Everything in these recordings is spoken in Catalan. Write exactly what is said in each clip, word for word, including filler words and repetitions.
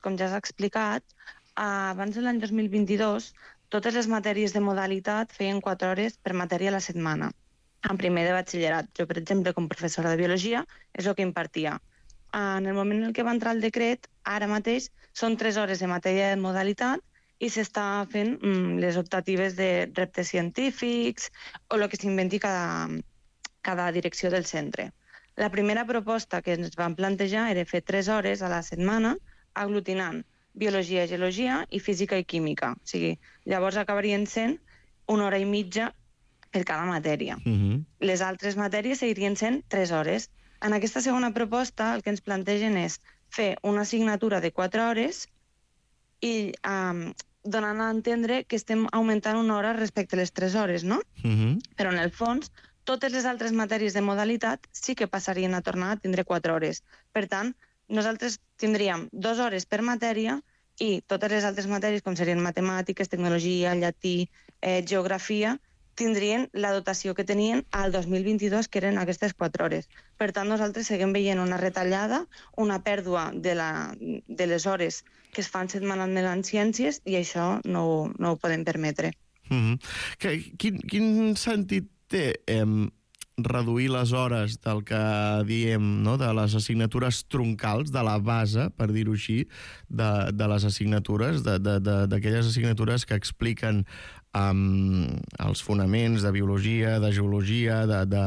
com ja s'ha explicat, abans de l'any dos mil vint-i-dos, totes les matèries de modalitat feien quatre hores per matèria a la setmana. En primer de batxillerat, jo, per exemple, com professora de biologia, és el que impartia. En el moment en què va entrar el decret, ara mateix són tres hores de matèria de modalitat i s'està fent mm, les optatives de reptes científics o el que s'inventi cada, cada direcció del centre. La primera proposta que ens van plantejar era fer tres hores a la setmana aglutinant biologia, geologia i física i química. O sigui, llavors acabarien sent una hora i mitja per cada matèria. Uh-huh. Les altres matèries seguirien sent tres hores. En aquesta segona proposta el que ens plantegen és fer una assignatura de quatre hores i um, donant a entendre que estem augmentant una hora respecte a les tres hores, no? Uh-huh. Però en el fons, totes les altres matèries de modalitat sí que passarien a tornar a tindre quatre hores. Per tant, nosaltres tindríem dues hores per matèria i totes les altres matèries, com serien matemàtiques, tecnologia, llatí, eh, geografia, tindrien la dotació que tenien al dos mil vint-i-dos, que eren aquestes quatre hores. Per tant, nosaltres seguim veient una retallada, una pèrdua de, la, de les hores que es fan setmanalment en ciències i això no, no ho podem permetre. Mm-hmm. Que, quin, quin sentit té eh, reduir les hores del que diem, no? De les assignatures troncals, de la base, per dir-ho així, de, de les assignatures, d'aquelles assignatures que expliquen um, els fonaments de biologia, de geologia, de, de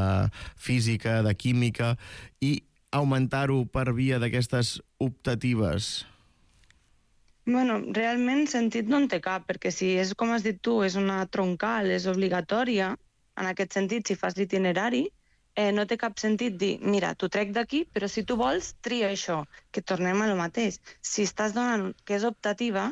física, de química, i augmentar-ho per via d'aquestes optatives? Bueno, realment sentit no en té cap, perquè si és, com has dit tu, és una troncal, és obligatòria, en aquest sentit, si fas l'itinerari, eh, no té cap sentit dir, mira, t'ho trec d'aquí, però si tu vols, tria això, que tornem a lo mateix. Si estàs donant que és optativa,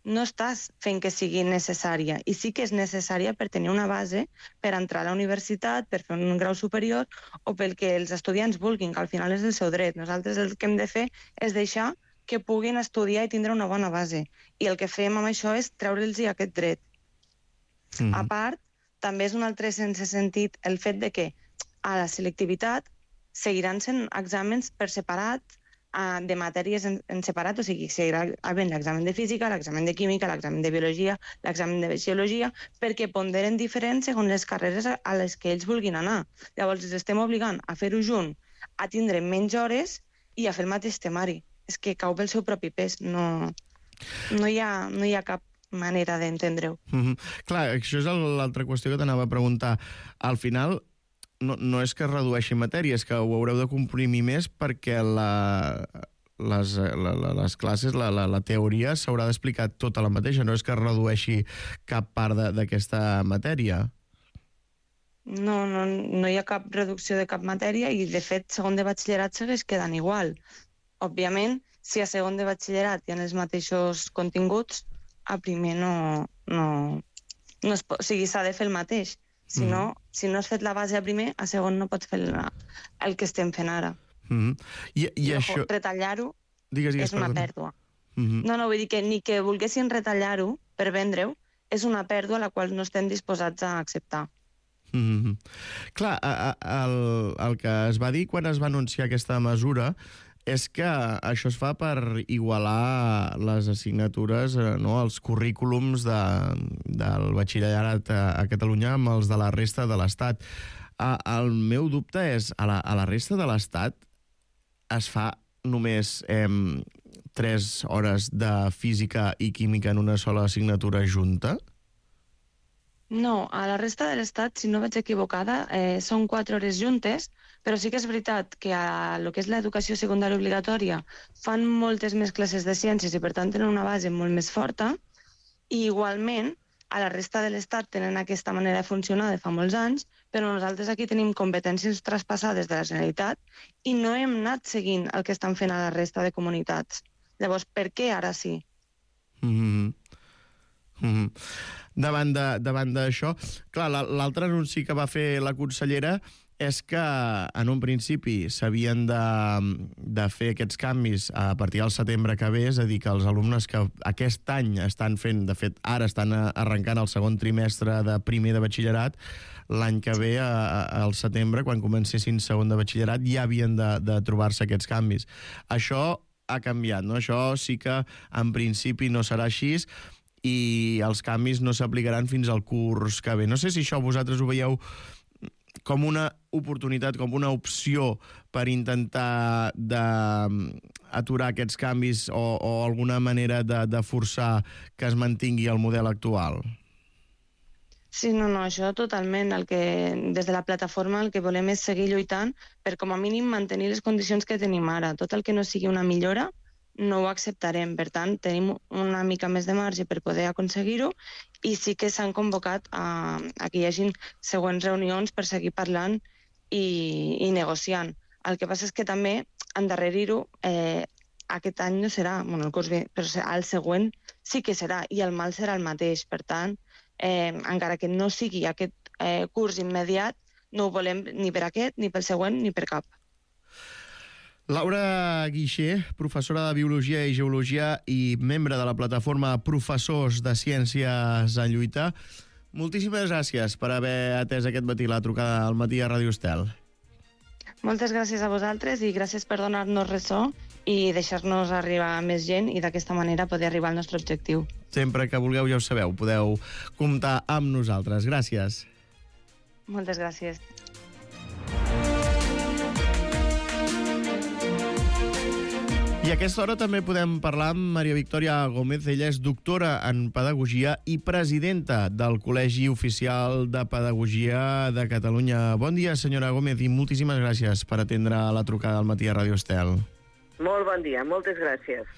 no estàs fent que sigui necessària, i sí que és necessària per tenir una base per entrar a la universitat, per fer un grau superior, o pel que els estudiants vulguin, que al final és el seu dret. Nosaltres el que hem de fer és deixar que puguin estudiar i tindre una bona base. I el que fem amb això és treure'ls aquest dret. Mm-hmm. A part, també és un altre sense sentit el fet de que a la selectivitat seguiran sent exàmens per separat, uh, de matèries en, en separat, o sigui, seguirà havent l'examen de física, l'examen de química, l'examen de biologia, l'examen de geologia, perquè ponderen diferents segons les carreres a les que ells vulguin anar. Llavors, els estem obligant a fer-ho junt, a tindre menys hores i a fer el mateix temari. És que cau pel seu propi pes, no, no, hi, ha, no hi ha cap manera d'entendre-ho. Mm-hmm. Clar, això és l'altra qüestió que t'anava a preguntar. Al final, no, no és que es redueixi matèria, és que ho haureu de comprimir més perquè la, les, la, la, les classes, la, la, la teoria s'haurà d'explicar tota la mateixa, no és que es redueixi cap part d'aquesta matèria. No, no, no hi ha cap reducció de cap matèria i, de fet, segon de batxillerat segueix quedant igual. Òbviament, si a segon de batxillerat hi ha els mateixos continguts, a primer no... no, no es pot, o sigui, s'ha de fer el mateix. Si, mm. no, si no has fet la base a primer, a segon no pots fer la, el que estem fent ara. Mm. I, i, I això... retallar-ho és una perdona. pèrdua. Mm-hmm. No, no, vull dir que ni que volguessin retallar-ho per vendre-ho, és una pèrdua a la qual no estem disposats a acceptar. Mm-hmm. Clar, a, a, el, el que es va dir quan es va anunciar aquesta mesura és que això es fa per igualar les assignatures, no, els currículums de, del batxillerat a, a Catalunya amb els de la resta de l'Estat. A, el meu dubte és, a la, a la resta de l'Estat es fa només eh, tres hores de física i química en una sola assignatura junta? No, a la resta de l'Estat, si no vaig equivocada, eh, són quatre hores juntes, però sí que és veritat que a lo que és l'educació secundària obligatòria fan moltes més classes de ciències i per tant tenen una base molt més forta, i igualment a la resta de l'Estat tenen aquesta manera de funcionar de fa molts anys, però nosaltres aquí tenim competències traspassades de la Generalitat i no hem anat seguint el que estan fent a la resta de comunitats. Llavors, per què ara sí? Mm-hmm. Mm-hmm. Davant de, davant d'això, clar, l'altre anunci que va fer la consellera és que en un principi s'havien de, de fer aquests canvis a partir del setembre que ve, és a dir, que els alumnes que aquest any estan fent, de fet, ara estan arrencant el segon trimestre de primer de batxillerat, l'any que ve, al setembre, quan comencessin segon de batxillerat, ja havien de, de trobar-se aquests canvis. Això ha canviat, no? Això sí que en principi no serà així i els canvis no s'aplicaran fins al curs que ve. No sé si això vosaltres ho veieu com una oportunitat, com una opció per intentar d'aturar aquests canvis o, o alguna manera de, de forçar que es mantingui el model actual. Sí, no, no, això totalment. El que, des de la plataforma el que volem és seguir lluitant per com a mínim mantenir les condicions que tenim ara. Tot el que no sigui una millora no ho acceptarem. Per tant, tenim una mica més de marge per poder aconseguir-ho i sí que s'han convocat a, a que hi hagin següents reunions per seguir parlant i, i negociant. El que passa és que també endarrerir-ho eh, aquest any no serà, bueno, el curs ve, però el següent sí que serà i el mal serà el mateix. Per tant, eh, encara que no sigui aquest eh, curs immediat, no ho volem ni per aquest, ni pel següent, ni per cap. Laura Guixer, professora de Biologia i Geologia i membre de la plataforma Professors de Ciències en Lluita, moltíssimes gràcies per haver atès aquest matí la trucada al matí a Ràdio Estel. Moltes gràcies a vosaltres i gràcies per donar-nos ressò i deixar-nos arribar a més gent i d'aquesta manera poder arribar al nostre objectiu. Sempre que vulgueu ja ho sabeu, podeu comptar amb nosaltres. Gràcies. Moltes gràcies. I a aquesta hora també podem parlar amb Maria Victòria Gómez. Ella és doctora en Pedagogia i presidenta del Col·legi Oficial de Pedagogia de Catalunya. Bon dia, senyora Gómez, i moltíssimes gràcies per atendre la trucada al matí a Ràdio Estel. Molt bon dia, moltes gràcies.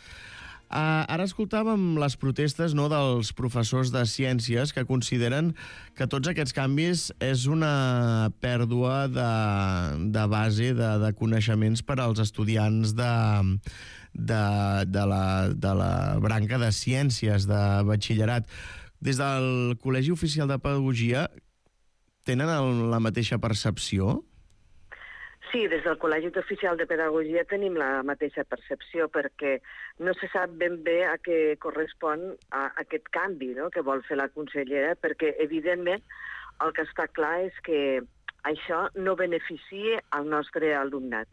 Uh, ara escoltàvem les protestes, no, dels professors de ciències que consideren que tots aquests canvis és una pèrdua de, de base, de, de coneixements per als estudiants de, de, de, la, de la branca de ciències, de batxillerat. Des del Col·legi Oficial de Pedagogia tenen el, la mateixa percepció? Sí, des del Col·legi Oficial de Pedagogia tenim la mateixa percepció perquè no se sap ben bé a què correspon a aquest canvi, no?, que vol fer la consellera, perquè evidentment el que està clar és que això no beneficia al nostre alumnat.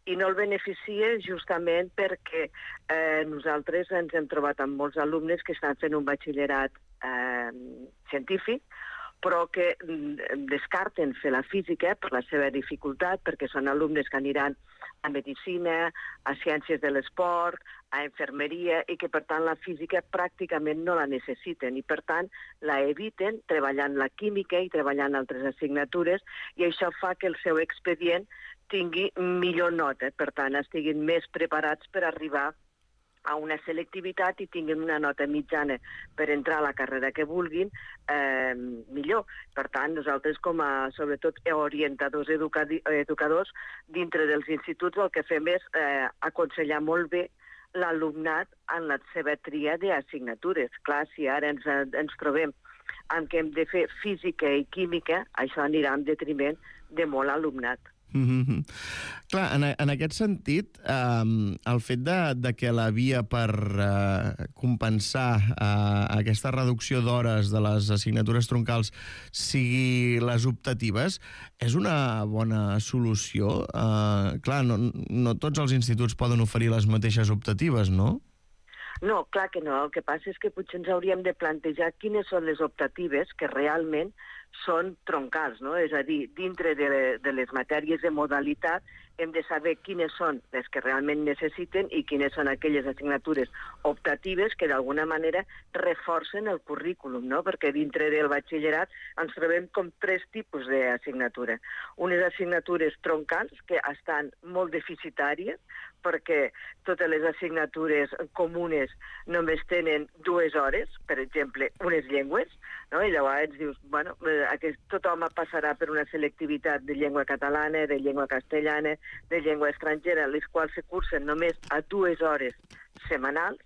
I no el beneficia justament perquè eh, nosaltres ens hem trobat amb molts alumnes que estan fent un batxillerat eh, científic, però que descarten fer la física per la seva dificultat, perquè són alumnes que aniran a medicina, a ciències de l'esport, a infermeria, i que, per tant, la física pràcticament no la necessiten, i, per tant, la eviten treballant la química i treballant altres assignatures, i això fa que el seu expedient tingui millor nota, per tant, estiguin més preparats per arribar a una selectivitat i tinguin una nota mitjana per entrar a la carrera que vulguin, eh, millor. Per tant, nosaltres com a, sobretot, orientadors educadors, dintre dels instituts el que fem és eh, aconsellar molt bé l'alumnat en la seva tria d'assignatures. Clar, si ara ens, ens trobem amb que hem de fer física i química, això anirà en detriment de molt alumnat. Mm-hmm. Clar, en, en aquest sentit, eh, el fet de, de que la via per eh, compensar eh, aquesta reducció d'hores de les assignatures troncals sigui les optatives, és una bona solució? Eh, clar, no, no tots els instituts poden oferir les mateixes optatives, no? No, clar que no. El que passa és que potser ens hauríem de plantejar quines són les optatives que realment són troncals, no? És a dir, dintre de, de les matèries de modalitat hem de saber quines són les que realment necessiten i quines són aquelles assignatures optatives que d'alguna manera reforcen el currículum, no? Perquè dintre del batxillerat ens trobem com tres tipus d'assignatura. Unes assignatures troncals que estan molt deficitàries perquè totes les assignatures comunes només tenen dues hores, per exemple, unes llengües, no? I llavors dius, bueno, aquest, tothom passarà per una selectivitat de llengua catalana, de llengua castellana, de llengua estrangera, les quals se cursen només a dues hores setmanals,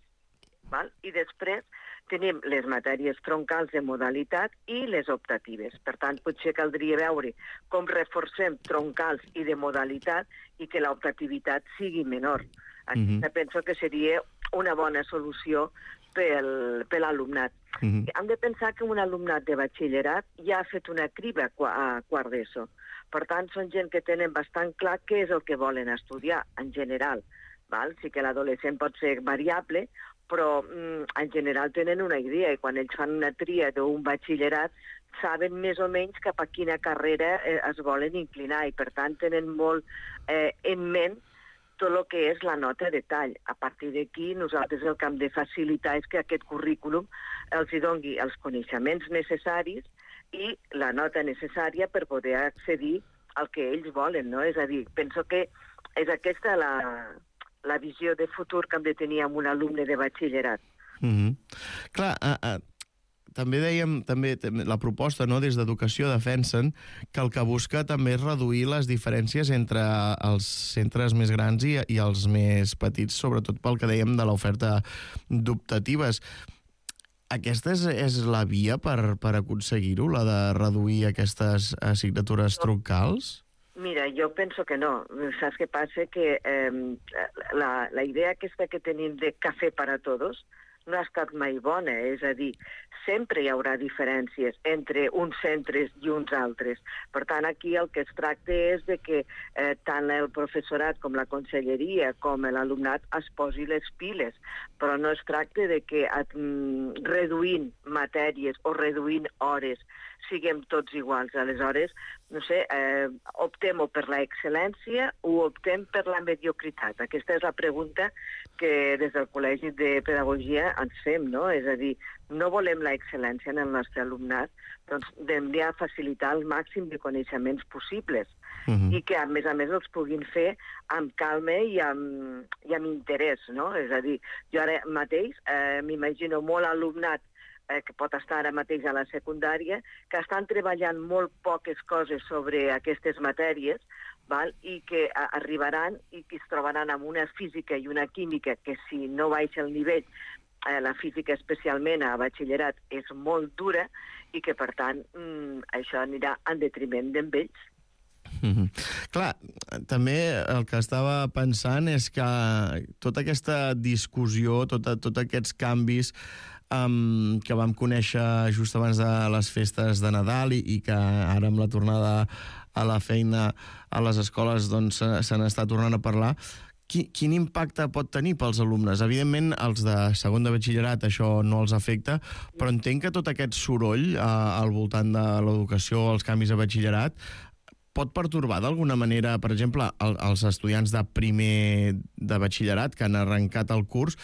val? I després tenim les matèries troncals de modalitat i les optatives. Per tant, potser caldria veure com reforcem troncals i de modalitat i que l'optativitat sigui menor. Aquesta mm-hmm. penso que seria una bona solució pel, per l'alumnat. Mm-hmm. Hem de pensar que un alumnat de batxillerat ja ha fet una criba a quart d'ESO. Per tant, són gent que tenen bastant clar què és el que volen estudiar, en general. val? Sí que l'adolescent pot ser variable, però mm, en general tenen una idea, i quan ells fan una tria d'un batxillerat saben més o menys cap a quina carrera eh, es volen inclinar, i per tant tenen molt eh, en ment tot el que és la nota de tall. A partir d'aquí, nosaltres el que hem de facilitar és que aquest currículum els hi doni els coneixements necessaris i la nota necessària per poder accedir al que ells volen, no? És a dir, penso que és aquesta la, la visió de futur que hem de tenir amb un alumne de batxillerat. Mm-hmm. Clar, a, a, també dèiem, també, la proposta, no, des d'Educació defensen que el que busca també és reduir les diferències entre els centres més grans i, i els més petits, sobretot pel que dèiem de l'oferta d'optatives. Aquesta és, és la via per, per aconseguir-ho, la de reduir aquestes assignatures troncals? Mira, jo penso que no. Saps què passa? Que eh, la, la idea aquesta que tenim de cafè per a tots no ha estat mai bona, és a dir, sempre hi haurà diferències entre uns centres i uns altres. Per tant, aquí el que es tracta és de que eh, tant el professorat com la conselleria com l'alumnat es posi les piles, però no es tracta de que mm, reduint matèries o reduint hores siguem tots iguals. Aleshores, no sé, eh, optem o per la excel·lència o optem per la mediocritat. Aquesta és la pregunta que des del Col·legi de Pedagogia ens fem, no? És a dir, no volem la excel·lència en el nostre alumnat, doncs hem de facilitar el màxim de coneixements possibles uh-huh. i que, a més a més, els puguin fer amb calma i amb, i amb interès, no? És a dir, jo ara mateix eh, m'imagino molt alumnat eh, que pot estar ara mateix a la secundària, que estan treballant molt poques coses sobre aquestes matèries, val? I que a, arribaran i que es trobaran amb una física i una química que, si no baixa el nivell, eh, la física especialment a batxillerat és molt dura i que, per tant, mm, això anirà en detriment d'ells. Mm-hmm. Clar, també el que estava pensant és que tota aquesta discussió, tota, tots aquests canvis um, que vam conèixer just abans de les festes de Nadal i, i que ara amb la tornada a la feina a les escoles doncs, se n'està tornant a parlar, Quin, quin impacte pot tenir pels alumnes? Evidentment, els de segon de batxillerat això no els afecta, però entenc que tot aquest soroll eh, al voltant de l'educació, els canvis a batxillerat, pot pertorbar d'alguna manera, per exemple, el, els estudiants de primer de batxillerat que han arrencat el curs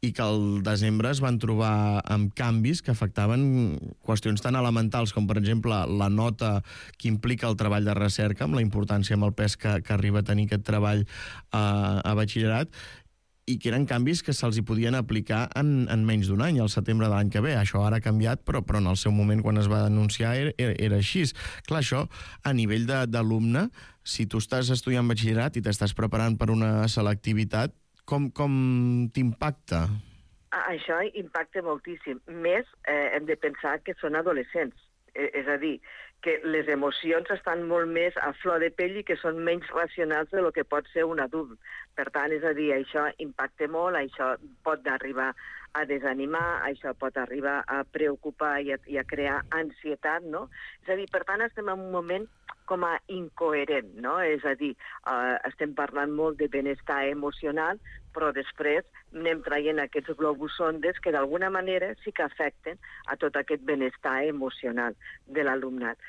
i que al desembre es van trobar amb canvis que afectaven qüestions tan elementals com, per exemple, la nota que implica el treball de recerca, amb la importància, amb el pes que, que arriba a tenir aquest treball a, a batxillerat, i que eren canvis que se'ls hi podien aplicar en, en menys d'un any, al setembre de l'any que ve. Això ara ha canviat, però, però en el seu moment, quan es va denunciar, era, era, era així. Clar, això, a nivell d'alumne, si tu estàs estudiant batxillerat i t'estàs preparant per una selectivitat, com, com t'impacta? Això impacta moltíssim. Més, eh, hem de pensar que són adolescents. Eh, és a dir, que les emocions estan molt més a flor de pell i que són menys racionals de lo que pot ser un adult. Per tant, és a dir, això impacta molt, això pot arribar a desanimar, això pot arribar a preocupar i a, i a crear ansietat, no? És a dir, per tant, estem en un moment com a incoherent, no? És a dir, eh, estem parlant molt de benestar emocional, però després anem traient aquests globus sondes que d'alguna manera sí que afecten a tot aquest benestar emocional de l'alumnat.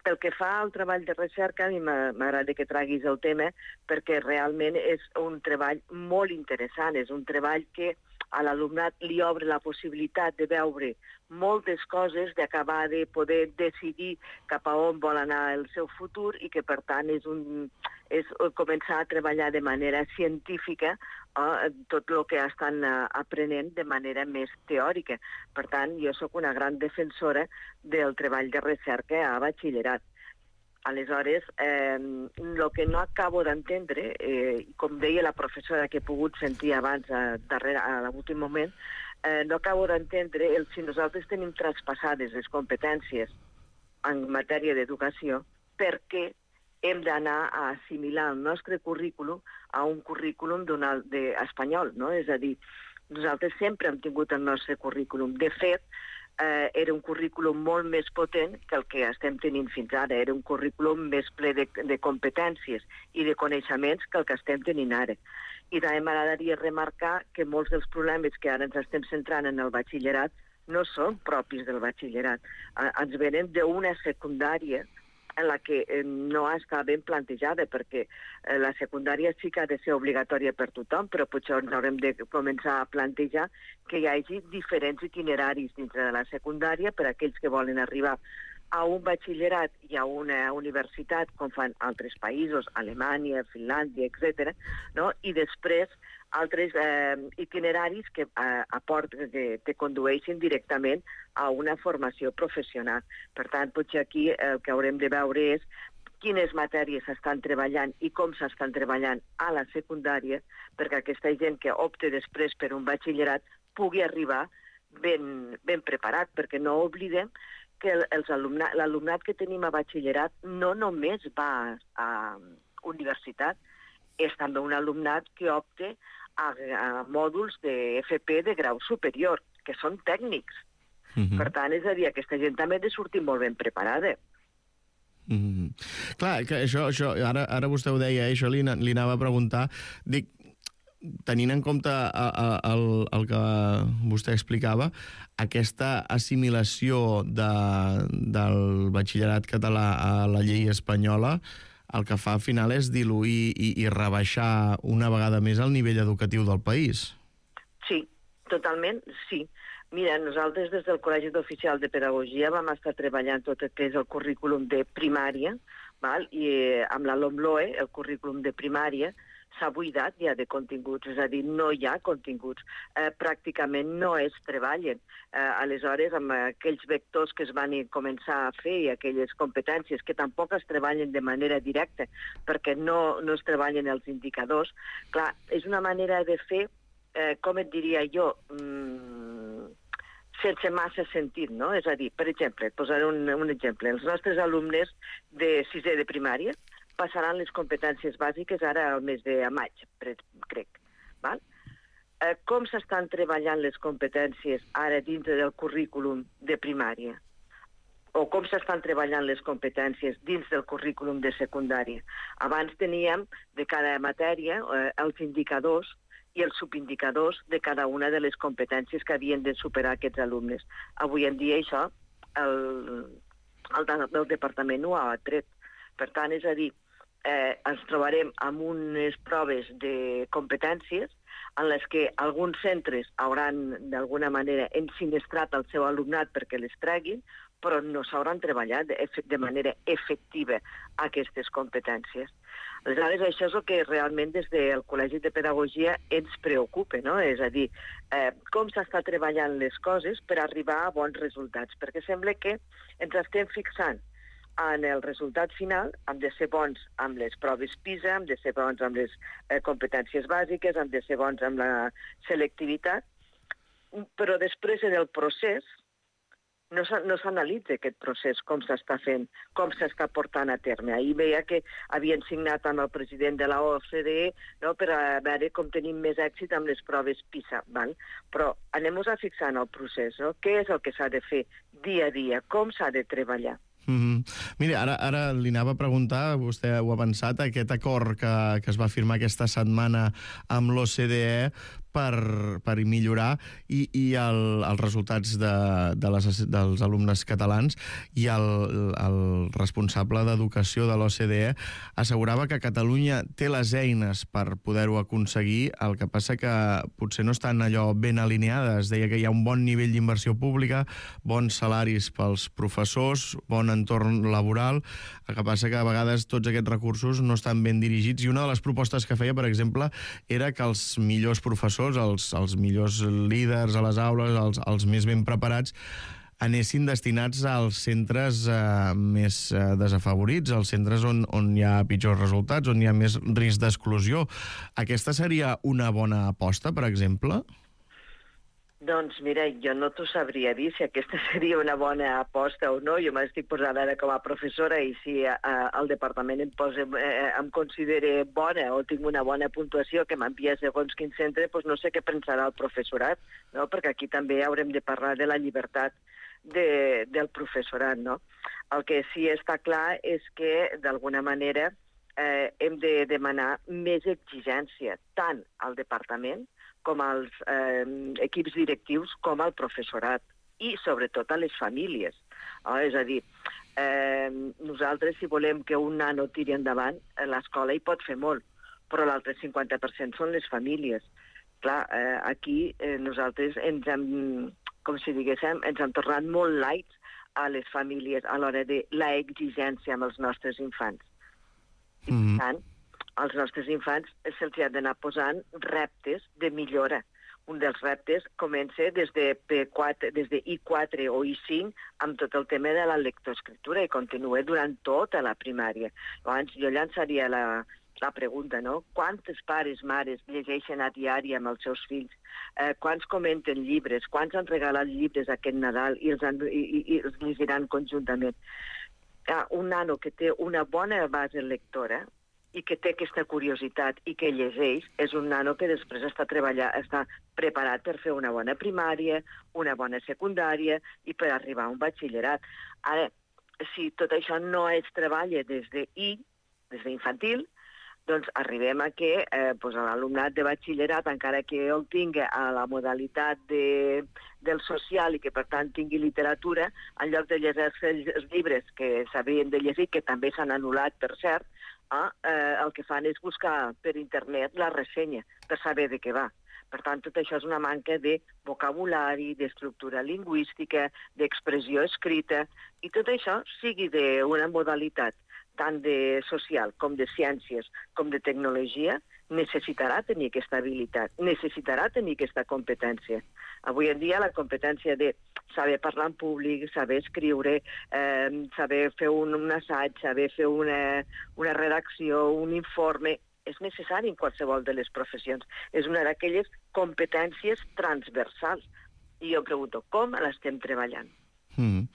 Pel que fa al treball de recerca, a mi m'agrada que traguis el tema perquè realment és un treball molt interessant, és un treball que a l'alumnat li obre la possibilitat de veure moltes coses, d'acabar de poder decidir cap a on vol anar el seu futur i que, per tant, és, un, és començar a treballar de manera científica eh, tot el que estan eh, aprenent de manera més teòrica. Per tant, jo sóc una gran defensora del treball de recerca a batxillerat. Aleshores, eh, el que no acabo d'entendre, eh, com deia la professora que he pogut sentir abans, a, darrere, a l'últim moment, eh, no acabo d'entendre el, si nosaltres tenim traspassades les competències en matèria d'educació, per què hem d'anar a assimilar el nostre currículum a un currículum de espanyol, no? És a dir, nosaltres sempre hem tingut el nostre currículum. De fet, Eh, era un currículum molt més potent que el que estem tenint fins ara. Era un currículum més ple de, de competències i de coneixements que el que estem tenint ara. I també m'agradaria remarcar que molts dels problemes que ara ens estem centrant en el batxillerat no són propis del batxillerat. Ens venen d'una secundària en la que no està ben plantejada, perquè la secundària sí que ha de ser obligatòria per tothom, però potser ens haurem de començar a plantejar que hi hagi diferents itineraris dintre de la secundària per a aquells que volen arribar a un batxillerat i a una universitat, com fan altres països, Alemanya, Finlàndia, etcètera, no? I després altres eh, itineraris que, eh, aporten, que te condueixen directament a una formació professional. Per tant, potser aquí el que haurem de veure és quines matèries s'estan treballant i com s'estan treballant a la secundària, perquè aquesta gent que opte després per un batxillerat pugui arribar ben, ben preparat, perquè no oblidem que l'alumnat que tenim a batxillerat no només va a universitat, és també un alumnat que opta a, a mòduls d'F P de grau superior, que són tècnics. Mm-hmm. Per tant, és a dir, aquesta gent també ha de sortir molt ben preparada. Mm-hmm. Clar, que això, això ara, ara vostè ho deia, eh? Això li, li anava a preguntar. Dic, tenint en compte el, el que vostè explicava, aquesta assimilació de, del batxillerat català a la llei espanyola, el que fa al final és diluir i, i rebaixar una vegada més el nivell educatiu del país. Sí, totalment, sí. Mira, nosaltres des del Col·legi d'Oficial de Pedagogia vam estar treballant tot el que és el currículum de primària, val? I eh, amb la LOMLOE, el currículum de primària, s'ha buidat ja de continguts, és a dir, no hi ha continguts. Eh, pràcticament no es treballen. Eh, aleshores, amb aquells vectors que es van començar a fer i aquelles competències que tampoc es treballen de manera directa perquè no, no es treballen els indicadors, clar, és una manera de fer, eh, com et diria jo, mmm, sense massa sentit, no? És a dir, per exemple, posaré un, un exemple. Els nostres alumnes de sisè de primària passaran les competències bàsiques ara al mes de maig, crec. Val? Eh, com s'estan treballant les competències ara dintre del currículum de primària? O com s'estan treballant les competències dins del currículum de secundària? Abans teníem de cada matèria eh, els indicadors i els subindicadors de cada una de les competències que havien de superar aquests alumnes. Avui en dia això el, el, el departament ho ha tret. Per tant, és a dir, eh, ens trobarem amb unes proves de competències en les que alguns centres hauran d'alguna manera ensinistrat el seu alumnat perquè les treguin, però no s'hauran treballat de, de manera efectiva aquestes competències. Aleshores, això és el que realment des del Col·legi de Pedagogia ens preocupa, no? És a dir, eh, com s'està treballant les coses per arribar a bons resultats, perquè sembla que ens estem fixant en el resultat final, hem de ser bons amb les proves PISA, hem de ser bons amb les eh, competències bàsiques, hem de ser bons amb la selectivitat, però després en el procés no s'analitza aquest procés, com s'està fent, com s'està portant a terme. Ahir veia que havien signat amb el president de la O C D E, no, per a veure com tenim més èxit amb les proves PISA. Val? Però anem-nos a fixar en el procés, no? Què és el que s'ha de fer dia a dia, com s'ha de treballar. Mm-hmm. Mira, ara, ara li anava a preguntar, vostè ho ha pensat, aquest acord que, que es va firmar aquesta setmana amb l'O C D E per, per millorar i, i el, els resultats de, de les, dels alumnes catalans, i el, el responsable d'educació de l'O C D E assegurava que Catalunya té les eines per poder-ho aconseguir, el que passa que potser no estan allò ben alineades. Deia que hi ha un bon nivell d'inversió pública, bons salaris pels professors, bon entorn laboral, el que passa que a vegades tots aquests recursos no estan ben dirigits, i una de les propostes que feia, per exemple, era que els millors professors, els, els millors líders a les aules, els, els més ben preparats, anessin destinats als centres eh, més eh, desafavorits, als centres on, on hi ha pitjors resultats, on hi ha més risc d'exclusió. Aquesta seria una bona aposta, per exemple? Doncs mira, jo no t'ho sabria dir si aquesta seria una bona aposta o no. Jo m'estic posant ara com a professora i si a, a, el departament em, posa, eh, em considera bona o tinc una bona puntuació que m'envia segons quin centre, doncs no sé què pensarà el professorat, no? Perquè aquí també haurem de parlar de la llibertat de, del professorat, no? El que sí està clar és que, d'alguna manera, eh, hem de demanar més exigència tant al departament com als eh, equips directius com al professorat i sobretot a les famílies. Oh, és a dir, eh, nosaltres si volem que un nano tiri endavant, l'escola hi pot fer molt, però l'altre cinquanta per cent són les famílies. Clar, eh, aquí eh, nosaltres ens hem, com si diguéssim, ens hem tornat molt lights a les famílies a l'hora de la exigència amb els nostres infants. I, per tant, als nostres infants se'ls ha d'anar posant reptes de millora. Un dels reptes comença des de, P quatre, des de I quatre o I cinc amb tot el tema de la lectoescriptura i continua durant tota la primària. Llavors, jo llançaria la, la pregunta, no? Quantes pares, mares llegeixen a diari amb els seus fills? Eh, quants comenten llibres? Quants han regalat llibres aquest Nadal i els, han, i, i, i els llegiran conjuntament? Ah, un nano que té una bona base lectora i que té aquesta curiositat i que llegeix, és un nano que després està treballant, està preparat per fer una bona primària, una bona secundària i per arribar a un batxillerat. Ara, si tot això no es treballa des de I, des d'infantil, doncs arribem a que eh, doncs l'alumnat de batxillerat, encara que el tingui a la modalitat de, del social i que per tant tingui literatura, en lloc de llegir-se els llibres que s'havien de llegir, que també s'han anul·lat, per cert, eh, eh, el que fan és buscar per internet la ressenya per saber de què va. Per tant, tot això és una manca de vocabulari, d'estructura lingüística, d'expressió escrita, i tot això sigui d'una modalitat tant de social com de ciències com de tecnologia, necessitarà tenir aquesta habilitat, necessitarà tenir aquesta competència. Avui en dia la competència de saber parlar en públic, saber escriure, eh, saber fer un, un assaig, saber fer una, una redacció, un informe, és necessari en qualsevol de les professions. És una d'aquelles competències transversals. I jo pregunto, com l'estem treballant? Mm.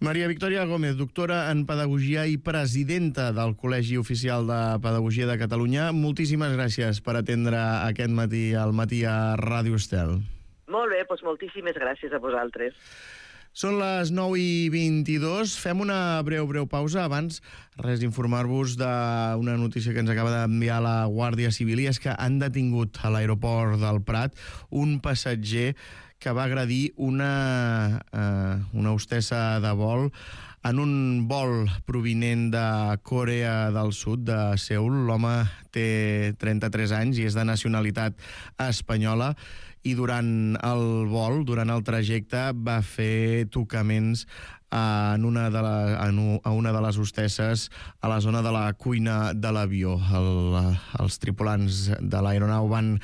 Maria Victòria Gómez, doctora en Pedagogia i presidenta del Col·legi Oficial de Pedagogia de Catalunya, moltíssimes gràcies per atendre aquest matí al matí a Ràdio Estel. Molt bé, doncs moltíssimes gràcies a vosaltres. Són les nou i vint-i-dos. Fem una breu, breu pausa. Abans, res, informar-vos d'una notícia que ens acaba d'enviar la Guàrdia Civil, i és que han detingut a l'aeroport del Prat un passatger que va agredir una, eh, una hostessa de vol en un vol provinent de Corea del Sud, de Seul. L'home té trenta-tres anys i és de nacionalitat espanyola, i durant el vol, durant el trajecte, va fer tocaments en una de la, en a una de les hostesses a la zona de la cuina de l'avió. El, els tripulants de l'aeronau van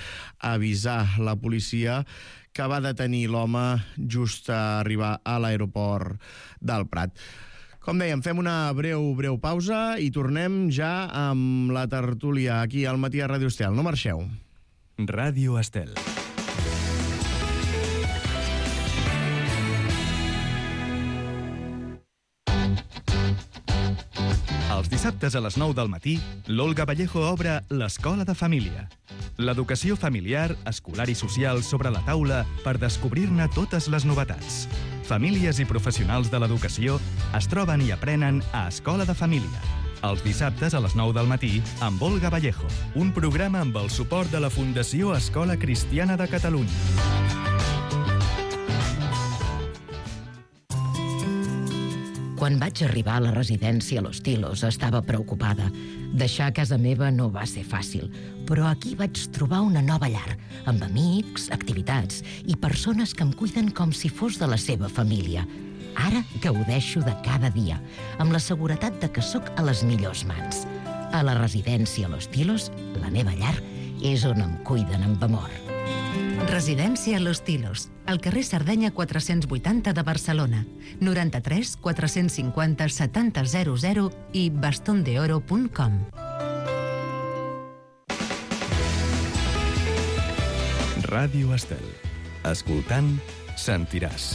avisar la policia, que va detenir l'home just a arribar a l'aeroport del Prat. Com dèiem, fem una breu, breu pausa i tornem ja amb la tertúlia aquí al matí a Ràdio Estel. No marxeu. Ràdio Estel. Els dissabtes a les nou del matí, l'Olga Vallejo obre l'Escola de Família. L'educació familiar, escolar i social sobre la taula per descobrir-ne totes les novetats. Famílies i professionals de l'educació es troben i aprenen a Escola de Família. Els dissabtes a les nou del matí amb Olga Vallejo. Un programa amb el suport de la Fundació Escola Cristiana de Catalunya. Quan vaig arribar a la residència Los Tilos estava preocupada. Deixar casa meva no va ser fàcil, però aquí vaig trobar una nova llar, amb amics, activitats i persones que em cuiden com si fos de la seva família. Ara gaudeixo de cada dia, amb la seguretat de que sóc a les millors mans. A la residència Los Tilos, la meva llar, és on em cuiden amb amor. Residència Los Tilos, al carrer Sardenya quatre-cents vuitanta de Barcelona, noranta-tres quatre-cents cinquanta setanta zero zero i bastondeoro punt com. Ràdio Estel. Escoltant, sentiràs.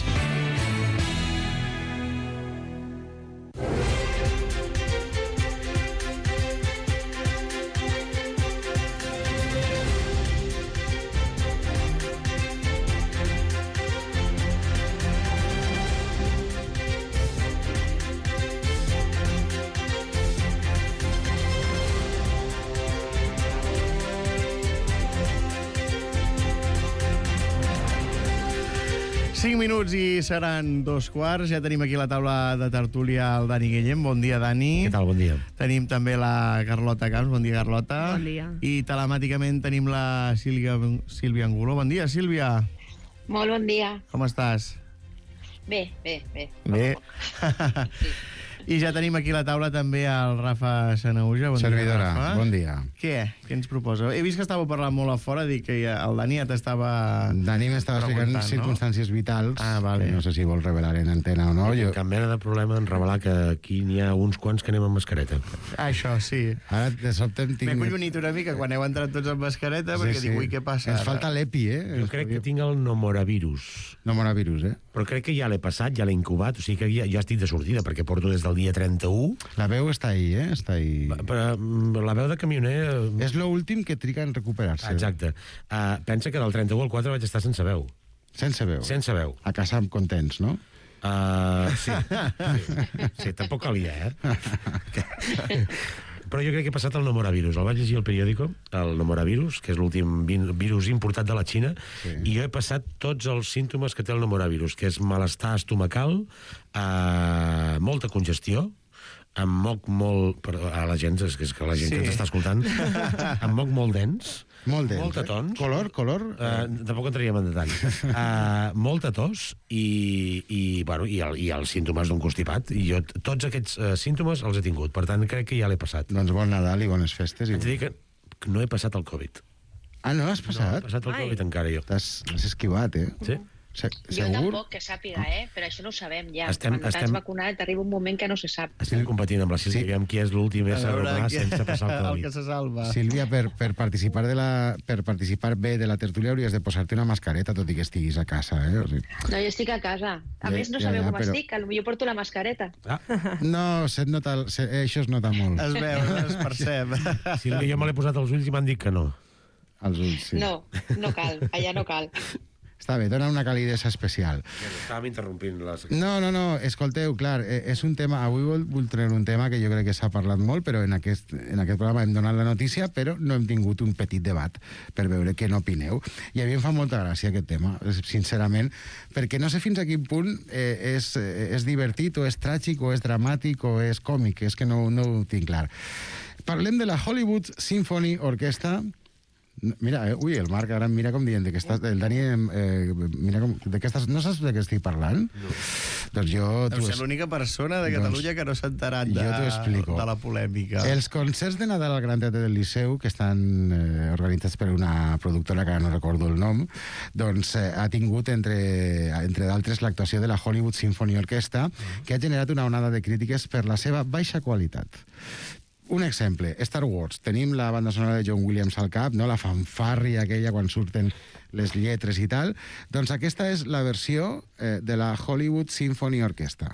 cinc minuts i seran dos quarts. Ja tenim aquí a la taula de tertúlia el Dani Guillem. Bon dia, Dani. Què tal? Bon dia. Tenim també la Carlota Camps. Bon dia, Carlota. Bon dia. I telemàticament tenim la Sílvia, Sílvia Angulo. Bon dia, Sílvia. Molt bon dia. Com estàs? Bé, bé, bé. Bé. Sí. I ja tenim aquí a la taula també el Rafa Sanauja. Bon Servidora, dia, Rafa. bon dia. Què? Què ens proposa? He vist que estàveu parlant molt a fora, dic que ja, el Dani ja t'estava... Dani m'estava explicant preguntant, no? circumstàncies vitals. Ah, vale. Que no sé si vols revelar en antena o no. Jo... Cap mena de problema en revelar que aquí n'hi ha uns quants que anem amb mascareta. Ah, això, sí. Ara de sobte em tinc... M'he collonit una mica quan heu entrat tots amb mascareta, Sí, perquè sí. dic, ui, què passa Ens ara? falta l'epi, eh? Jo crec que tinc el nomoravirus. Nomoravirus, eh? Però crec que ja l'he passat, ja l'he incubat, o sigui que ja, ja estic de sortida, perquè porto des del dia trenta-u. La veu està ahí, eh? Està ahí. Però mm, la veu de camioner... eh, És l'últim que triga en recuperar-se. Exacte. Uh, pensa que del trenta-u al quatre vaig estar sense veu. Sense veu. Sense veu. A casa contents, no? Uh, sí. sí. Sí, tampoc calia, eh? Però jo crec que he passat el nomoravirus. El vaig llegir al periòdico, el nomoravirus, que és l'últim vi- virus importat de la Xina, Sí. i jo he passat tots els símptomes que té el nomoravirus, que és malestar estomacal, eh, molta congestió, em moc molt... Per, a la gent, és que, és que la gent Sí. que ens està escoltant, em moc molt dens, Molt dens, molta eh? tons. Color, color? Uh, tampoc entraríem en detall. Uh, molta tos i, i, bueno, i, el, i els símptomes d'un constipat. I jo t- tots aquests uh, símptomes els he tingut. Per tant, crec que ja l'he passat. Doncs bon Nadal i bones festes. I... Haig de dir que que no he passat el Covid. Ah, no l'has No he passat? passat el Ai. Covid encara, jo. T'has l'has esquivat, eh? Sí? Se Jo segur? tampoc, que sàpiga, eh? Però això no ho sabem ja. Estem- Quan estem- t'has vacunat arriba un moment que no se sap. Estem competint amb la Sílvia, Sí. aviam qui és l'últim A ésser veure, humà què- sense passar el el que Covid. se salva. Sílvia, per, per, participar de la, per participar bé de la tertúlia hauries de posar-te una mascareta, tot i que estiguis a casa, eh? O sigui, No, jo estic a casa. A Ja- més, no ja, sabeu ja, com però- estic. Potser porto la mascareta. Ah, no, se't nota, el- se, eh, això es nota molt. Es veu, es percep. Sílvia, jo me l'he posat als ulls i m'han dit que no. Als ulls, sí. No, no cal. Allà no cal. Està bé, dona una calidesa especial. Estàvem interrompint les... No, no, no, escolteu, clar, eh, és un tema... Avui vol, vull treure un tema que jo crec que s'ha parlat molt, però en aquest, en aquest programa hem donat la notícia, però no hem tingut un petit debat per veure què n'opineu. I a mi em fa molta gràcia aquest tema, sincerament, perquè no sé fins a quin punt eh, és, eh, és divertit, o és tràgic, o és dramàtic, o és còmic, és que no, no ho tinc clar. Parlem de la Hollywood Symphony Orchestra. Mira, eh, ui, el Marc ara em mira com dient de que estàs, el Dani, eh, mira com, de què estàs, no saps de què estic parlant? No. Doncs jo... Deu ser l'única persona de Catalunya doncs, que no s'ha enterat de, jo t'ho explico. de la polèmica. Els concerts de Nadal al Gran Teatre del Liceu, que estan eh, organitzats per una productora que ara no recordo el nom, doncs eh, ha tingut, entre, entre d'altres, l'actuació de la Hollywood Symphony Orchestra, que ha generat una onada de crítiques per la seva baixa qualitat. Un exemple, Star Wars. Tenim la banda sonora de John Williams al cap, no? La fanfàrria aquella quan surten les lletres i tal. Doncs aquesta és la versió eh, de la Hollywood Symphony Orchestra.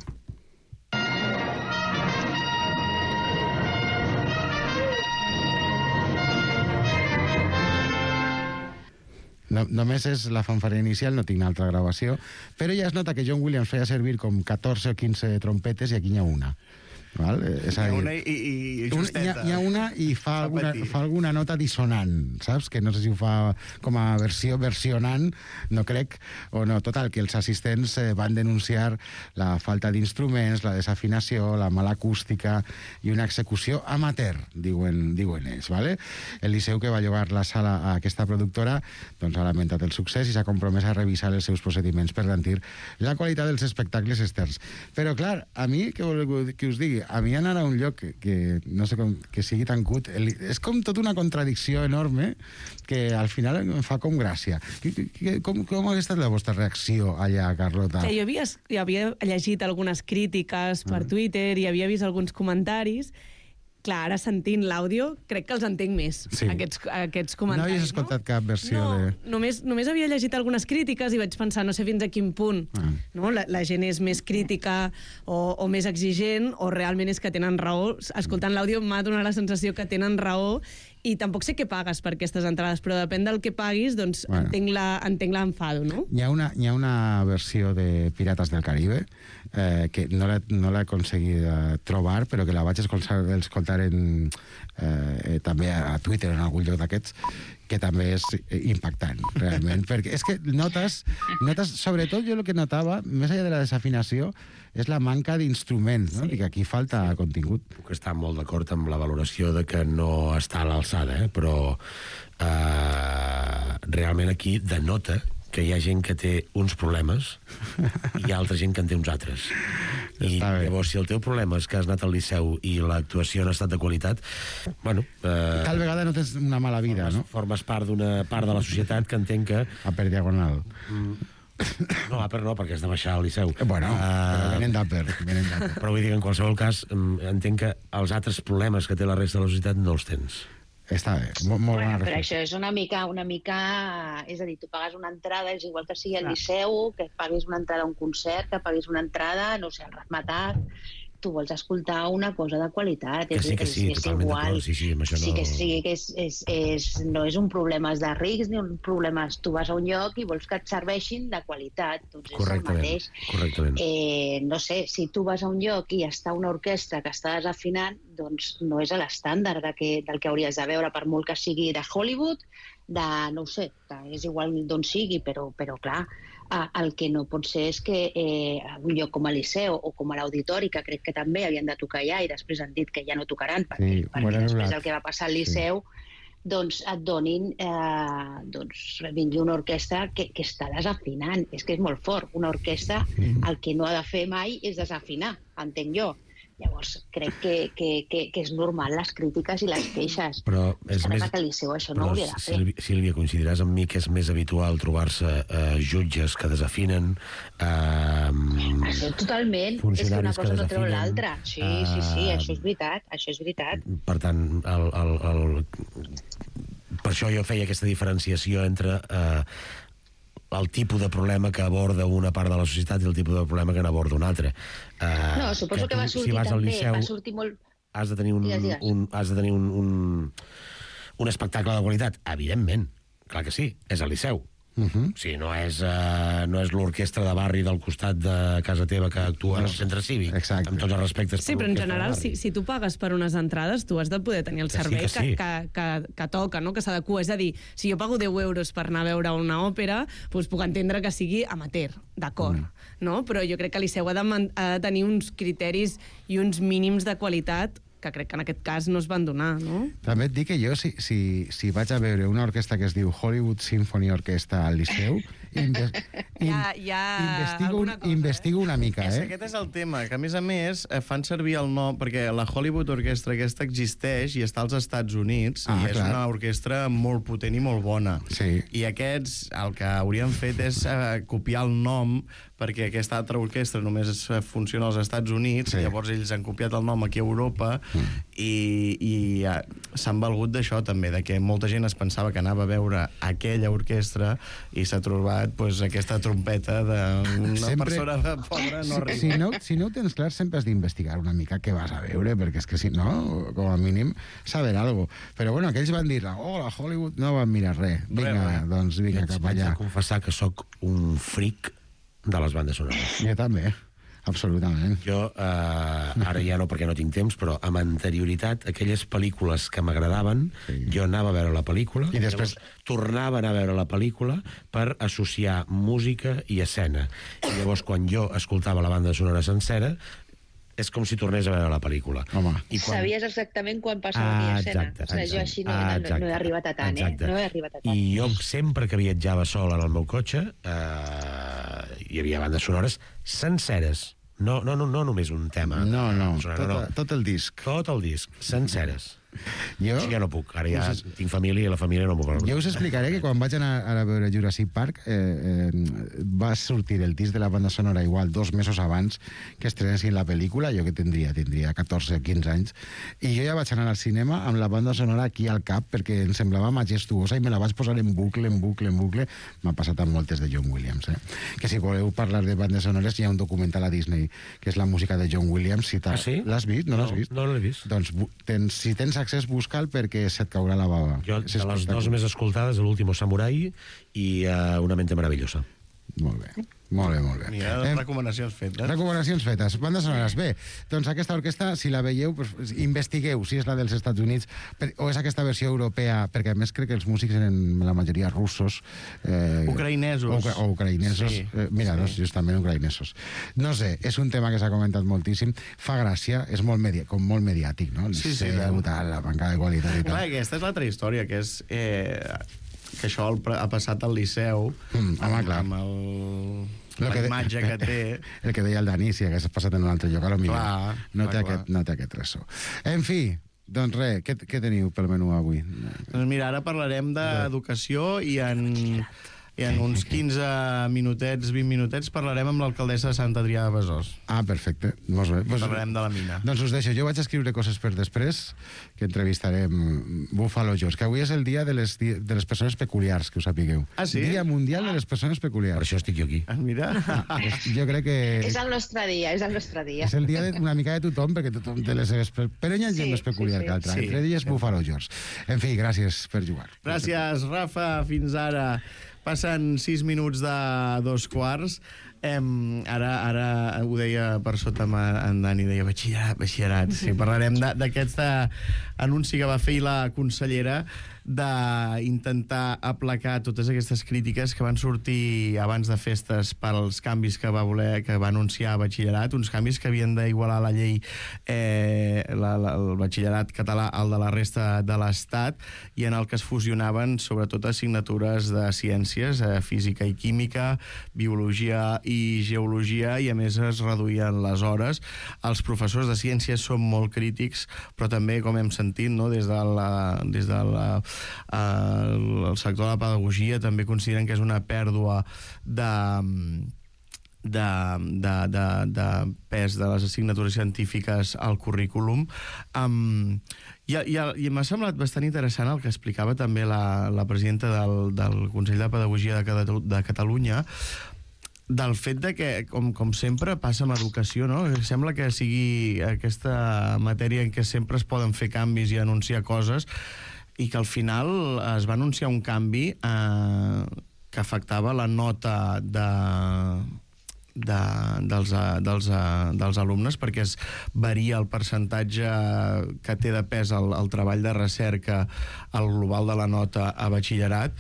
No, només és la fanfària inicial, no tinc altra gravació, però ja es nota que John Williams feia servir com catorze o quinze trompetes i aquí n'hi ha una. Val? És a Hi ha dir, una i, i, i un, justeta. hi, ha, hi ha una i fa, Fa alguna, patir. fa alguna nota dissonant, saps? Que no sé si ho fa com a versió versionant, no crec, o no. Total, que els assistents eh, van denunciar la falta d'instruments, la desafinació, la mala acústica i una execució amateur, diuen, diuen ells, ¿vale? El Liceu, que va llogar la sala a aquesta productora, doncs ha lamentat el succés i s'ha compromès a revisar els seus procediments per garantir la qualitat dels espectacles externs. Però, clar, a mi, què voleu que us digui? A mi anar a un lloc que, que no sé com, que sigui tan cut, el, és com tota una contradicció enorme que al final em fa com gràcia. Que, que, com, com hauria estat la vostra reacció allà, Carlota? Que jo havia, jo havia llegit algunes crítiques per Ah. Twitter i havia vist alguns comentaris. Clar, ara sentint l'àudio, crec que els entenc més, Sí. aquests, aquests No comentaris. havies escoltat cap versió no, de... només, només havia llegit algunes crítiques i vaig pensar, no sé fins a quin punt Ah. no? la, la gent és més crítica o, o més exigent, o realment és que tenen raó. Escoltant l'àudio m'ha donat la sensació que tenen raó, i tampoc sé què pagues per aquestes entrades, però depèn del que paguis, doncs Bueno. entenc la- entenc l'enfado, no? Hi ha, una, hi ha una versió de Pirates del Caribe eh, que no l'he no l'he aconseguit eh, trobar, però que la vaig escoltar, escoltar en, eh, eh, també a Twitter, en algun lloc d'aquests, que també és impactant, realment, perquè és que notes, notes, sobretot jo el que notava, més enllà de la desafinació, és la manca d'instruments, no? Sí. I que aquí falta contingut. Puc estar molt d'acord amb la valoració de que no està a l'alçada, eh? Però eh, realment aquí denota que hi ha gent que té uns problemes i hi ha altra gent que en té uns altres. I llavors, si el teu problema és que has anat al Liceu i l'actuació no ha estat de qualitat, bueno... Eh, Tal vegada no tens una mala vida, formes, no? Formes part d'una part de la societat que entenc que... A per diagonal. Mm, no, Aper no, perquè has de baixar al Liceu. Bueno, uh, però venen d'Aper. Però vull dir que en qualsevol cas entenc que els altres problemes que té la resta de la societat no els tens. Està bé, molt, molt bueno, bona però reflexió. això és una mica, una mica... És a dir, tu pagues una entrada, és igual que sigui al Liceu, que paguis una entrada a un concert, que paguis una entrada, no sé, al Ratmatat, tu vols escoltar una cosa de qualitat. Que sí, que sí, és, és totalment igual. d'acord, sí, sí, amb això no... Sí, que sí, que és, és, és, no és un problema de rics ni un problema... Tu vas a un lloc i vols que et serveixin de qualitat, doncs és el mateix. Correctament. Eh, no sé, si tu vas a un lloc i està una orquestra que està desafinant, doncs no és a l'estàndard de que, del que hauries de veure, per molt que sigui de Hollywood, de, no ho sé, és igual d'on sigui, però, però clar, el que no pot ser és que eh, un lloc com el Liceu o com a l'Auditori, que crec que també havien de tocar ja i després han dit que ja no tocaran, perquè, Sí, perquè bueno, després la- del que va passar al Liceu, doncs et donin, eh, doncs vingui una orquestra que, que està desafinant. És que és molt fort. Una orquestra el que no ha de fer mai és desafinar, entenc jo. Llavors, crec que, que, que, que és normal les crítiques i les queixes. Però és que més... que el Liceu això no Però, hauria de fer. Sílvia, Sílvia, coincidiràs amb mi que és més habitual trobar-se eh, jutges que desafinen, eh, Això totalment, és que una funcionaris que cosa no treu desafinen, l'altra. Sí, sí, sí, eh, això és veritat, això és veritat. per tant, el, el, el... per això jo feia aquesta diferenciació entre eh, el tipus de problema que aborda una part de la societat i el tipus de problema que n'aborda una altra. Eh, No, suposo que, tu, va sortir si vas al també, Liceu, va sortir molt... has de tenir un, Digues, digues. un, has de tenir un, un, un espectacle de qualitat. Evidentment, clar que sí, és al Liceu. Uh -huh. Sí, no és, uh, no és l'orquestra de barri del costat de casa teva que actua al centre cívic. Exacte. Amb tots els respectes. Sí, per però en l'orquestra de general, barri. si, si tu pagues per unes entrades, tu has de poder tenir el Que sí, servei que que, sí. que, que, que toca, no? Que s'adequa. És a dir, si jo pago deu euros per anar a veure una òpera, doncs puc entendre que sigui amateur, d'acord, mm. no? Però jo crec que el Liceu ha de, man- ha de tenir uns criteris i uns mínims de qualitat que crec que en aquest cas no es van donar, no? També et dic que jo, si, si, si vaig a veure una orquestra que es diu Hollywood Symphony Orchestra al Liceu, inve in Hi ha, hi ha investigo, alguna cosa, investigo una mica, És, eh? aquest és el tema, que a més a més eh, fan servir el nom, perquè la Hollywood Orchestra aquesta existeix i està als Estats Units, Ah, i és clar. una orquestra molt potent i molt bona. Sí. I aquests el que haurien fet és eh, copiar el nom, perquè aquesta altra orquestra només eh, funciona als Estats Units, Sí. i llavors ells han copiat el nom aquí a Europa, mm. i, i eh, s'han valgut d'això també, de que molta gent es pensava que anava a veure aquella orquestra i s'ha trobat pues, aquesta trompeta d'una Sempre- persona pobra no arriba. Si no, si no ho tens clar, sempre has d'investigar una mica què vas a veure, perquè és que si no, com a mínim, saber alguna cosa. Però bueno, aquells van dir, oh, la Hollywood no van mirar res. Vinga, Res, res. doncs vinga, Haig- cap haig de allà. confessar que sóc un fric de les bandes sonores. Jo també, absolutament. Jo, eh, ara ja no perquè no tinc temps, però amb anterioritat, aquelles pel·lícules que m'agradaven, Sí. jo anava a veure la pel·lícula, I després- llavors tornava a anar a veure la pel·lícula per associar música i escena. I llavors, quan jo escoltava la banda sonora sencera, és com si tornés a veure la pel·lícula. Home. I quan... Sabies exactament quan passava aquella escena. exacte, O sigui, jo exacte. així no, Ah, no, no exacte, he arribat a tant, exacte. eh? No he arribat a tant. I jo sempre que viatjava sol en el meu cotxe eh, hi havia bandes sonores senceres. No, no, no, no només un tema. No, no, Sonora, tot, tot el disc. Tot el disc, senceres. Jo, Això ja no puc. Ara ja tinc família i la família no m'ho vol. jo us explicaré que quan vaig anar a veure Jurassic Park eh, eh, va sortir el disc de la banda sonora igual dos mesos abans que estrenessin la pel·lícula, jo que tindria, tindria catorze o quinze anys, i jo ja vaig anar al cinema amb la banda sonora aquí al cap perquè em semblava majestuosa i me la vaig posar en bucle, en bucle, en bucle. M'ha passat amb moltes de John Williams, eh? Que si voleu parlar de bandes sonores hi ha un documental a Disney que és la música de John Williams. Si Ah, sí? L'has vist? No, No, l'has vist? no l'he vist. Doncs bu- tens, si tens accés, busca'l perquè se't caurà la bava. Jo, És de les espectacular. dues més escoltades, l'último samurai i uh, Una mente maravillosa. Molt bé. Molt bé, molt bé. Mira, recomanacions fetes. Recomanacions fetes. Bandes sonores. Bé, doncs aquesta orquestra, si la veieu, pues, investigueu si és la dels Estats Units per, o és aquesta versió europea, perquè a més crec que els músics eren la majoria russos. Eh, ucraïnesos. O, o ucraïnesos. Sí, eh, mira, sí. Doncs justament ucraïnesos. No sé, és un tema que s'ha comentat moltíssim. Fa gràcia, és molt, medi com molt mediàtic, no? El sí, sí. Liceu, tal, la manca de qualitat i tal. Clar, aquesta és l'altra història, que és... Eh, que això ha passat al Liceu mm, home, clar. amb el, la que imatge de... que té. El que deia el Dani, si hagués passat en un altre lloc, a lo millor clar, no, clar, té clar. Aquest, no té aquest ressò. En fi, doncs res, què, què teniu pel menú avui? Doncs mira, ara parlarem d'educació i en... I en uns quinze minutets, vint minutets, parlarem amb l'alcaldessa de Sant Adrià de Besòs. Ah, perfecte. Molt bé. Pues, parlarem de la mina. Doncs us deixo. Jo vaig escriure coses per després, que entrevistarem Buffalo Jones, que avui és el dia de les, de les persones peculiars, que ho sapigueu. Ah, sí? Dia Mundial de les Persones Peculiars. Per això estic jo aquí. Ah, mira. Jo crec que... És el nostre dia, és el nostre dia. És el dia de, una mica de tothom, perquè tothom té les seves... Però hi ha gent sí, més peculiar sí, sí. que altra. Sí. Entre elles sí. Buffalo Jones. En fi, gràcies per jugar. Gràcies, Rafa. Fins ara. Passen sis minuts de dos quarts. Em, ara, ara ho deia per sota en Dani, deia batxillerat, batxillerat. Sí, parlarem d'aquest anunci que va fer la consellera d'intentar aplacar totes aquestes crítiques que van sortir abans de festes pels canvis que va voler, que va anunciar batxillerat, uns canvis que havien d'igualar la llei eh, la, la, el batxillerat català al de la resta de l'Estat, i en el que es fusionaven sobretot assignatures de ciències, eh, física i química, biologia i geologia, i a més es reduïen les hores. Els professors de ciències són molt crítics, però també, com hem sentit, no, des de la, des de la el, el sector de la pedagogia també consideren que és una pèrdua de, de, de, de, de pes de les assignatures científiques al currículum. Um, i, i, i m'ha semblat bastant interessant el que explicava també la, la presidenta del, del Consell de Pedagogia de, de Catalunya, del fet de que, com, com sempre passa amb educació, no? Sembla que sigui aquesta matèria en què sempre es poden fer canvis i anunciar coses, i que al final es va anunciar un canvi eh, que afectava la nota de, de, dels, dels, dels alumnes, perquè es varia el percentatge que té de pes el, el treball de recerca al global de la nota a batxillerat,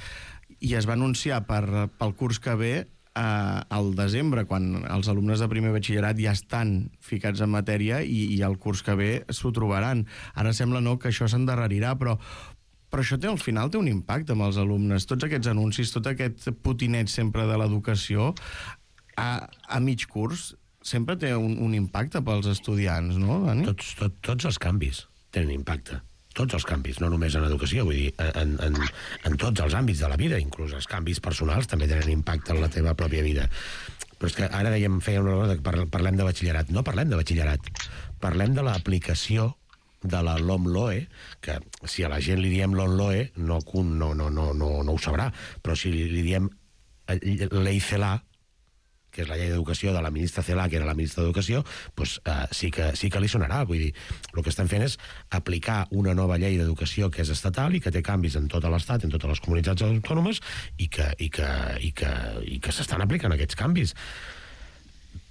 i es va anunciar per, pel curs que ve Uh, al desembre, quan els alumnes de primer batxillerat ja estan ficats en matèria, i, i el curs que ve s'ho trobaran. Ara sembla no que això s'endarrerirà, però, però això té, al final té un impacte amb els alumnes. Tots aquests anuncis, tot aquest potinet sempre de l'educació, a, a mig curs, sempre té un, un impacte pels estudiants, no, Dani? Tots, tot, tots els canvis tenen impacte. Tots els canvis, no només en educació, vull dir, en, en, en tots els àmbits de la vida, inclús els canvis personals també tenen impacte en la teva pròpia vida. Però és que ara dèiem, fèiem una hora que parlem de batxillerat. No parlem de batxillerat, parlem de l'aplicació de la LOMLOE, que si a la gent li diem LOMLOE no, no, no, no, no, no ho sabrà, però si li diem Ley CELA, que és la llei d'educació de la ministra Celaá, que era la ministra d'Educació, doncs, eh, sí, que, sí que li sonarà. Vull dir, el que estem fent és aplicar una nova llei d'educació que és estatal i que té canvis en tot l'Estat, en totes les comunitats autònomes, i que, i que, i que, i que s'estan aplicant aquests canvis.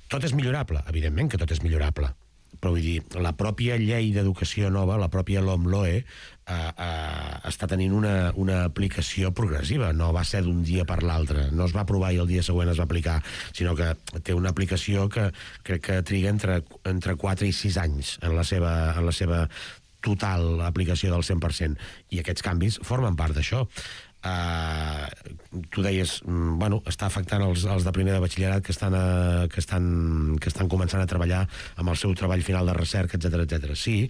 Tot és millorable, evidentment que tot és millorable, però vull dir, la pròpia llei d'educació nova, la pròpia LOMLOE, eh, eh, està tenint una, una aplicació progressiva, no va ser d'un dia per l'altre, no es va aprovar i el dia següent es va aplicar, sinó que té una aplicació que crec que triga entre, entre quatre i sis anys en la seva, en la seva total aplicació del cent per cent, i aquests canvis formen part d'això. Uh, tu deies, bueno, està afectant els, els de primer de batxillerat que estan, uh, que, estan, que estan començant a treballar amb el seu treball final de recerca, etcètera, etcètera. Sí,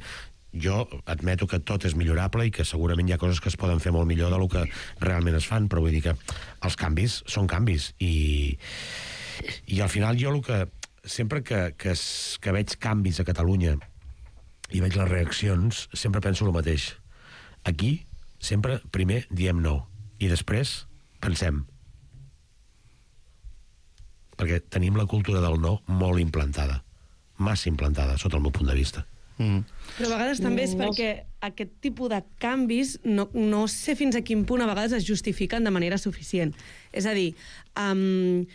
jo admeto que tot és millorable i que segurament hi ha coses que es poden fer molt millor del que realment es fan, però vull dir que els canvis són canvis, i, i al final jo el que sempre que, que, es, que veig canvis a Catalunya i veig les reaccions, sempre penso el mateix. Aquí sempre primer diem no, i després pensem, perquè tenim la cultura del no molt implantada, massa implantada, sota el meu punt de vista. Mm. Però a vegades també és perquè aquest tipus de canvis no, no sé fins a quin punt a vegades es justifiquen de manera suficient. És a dir, um,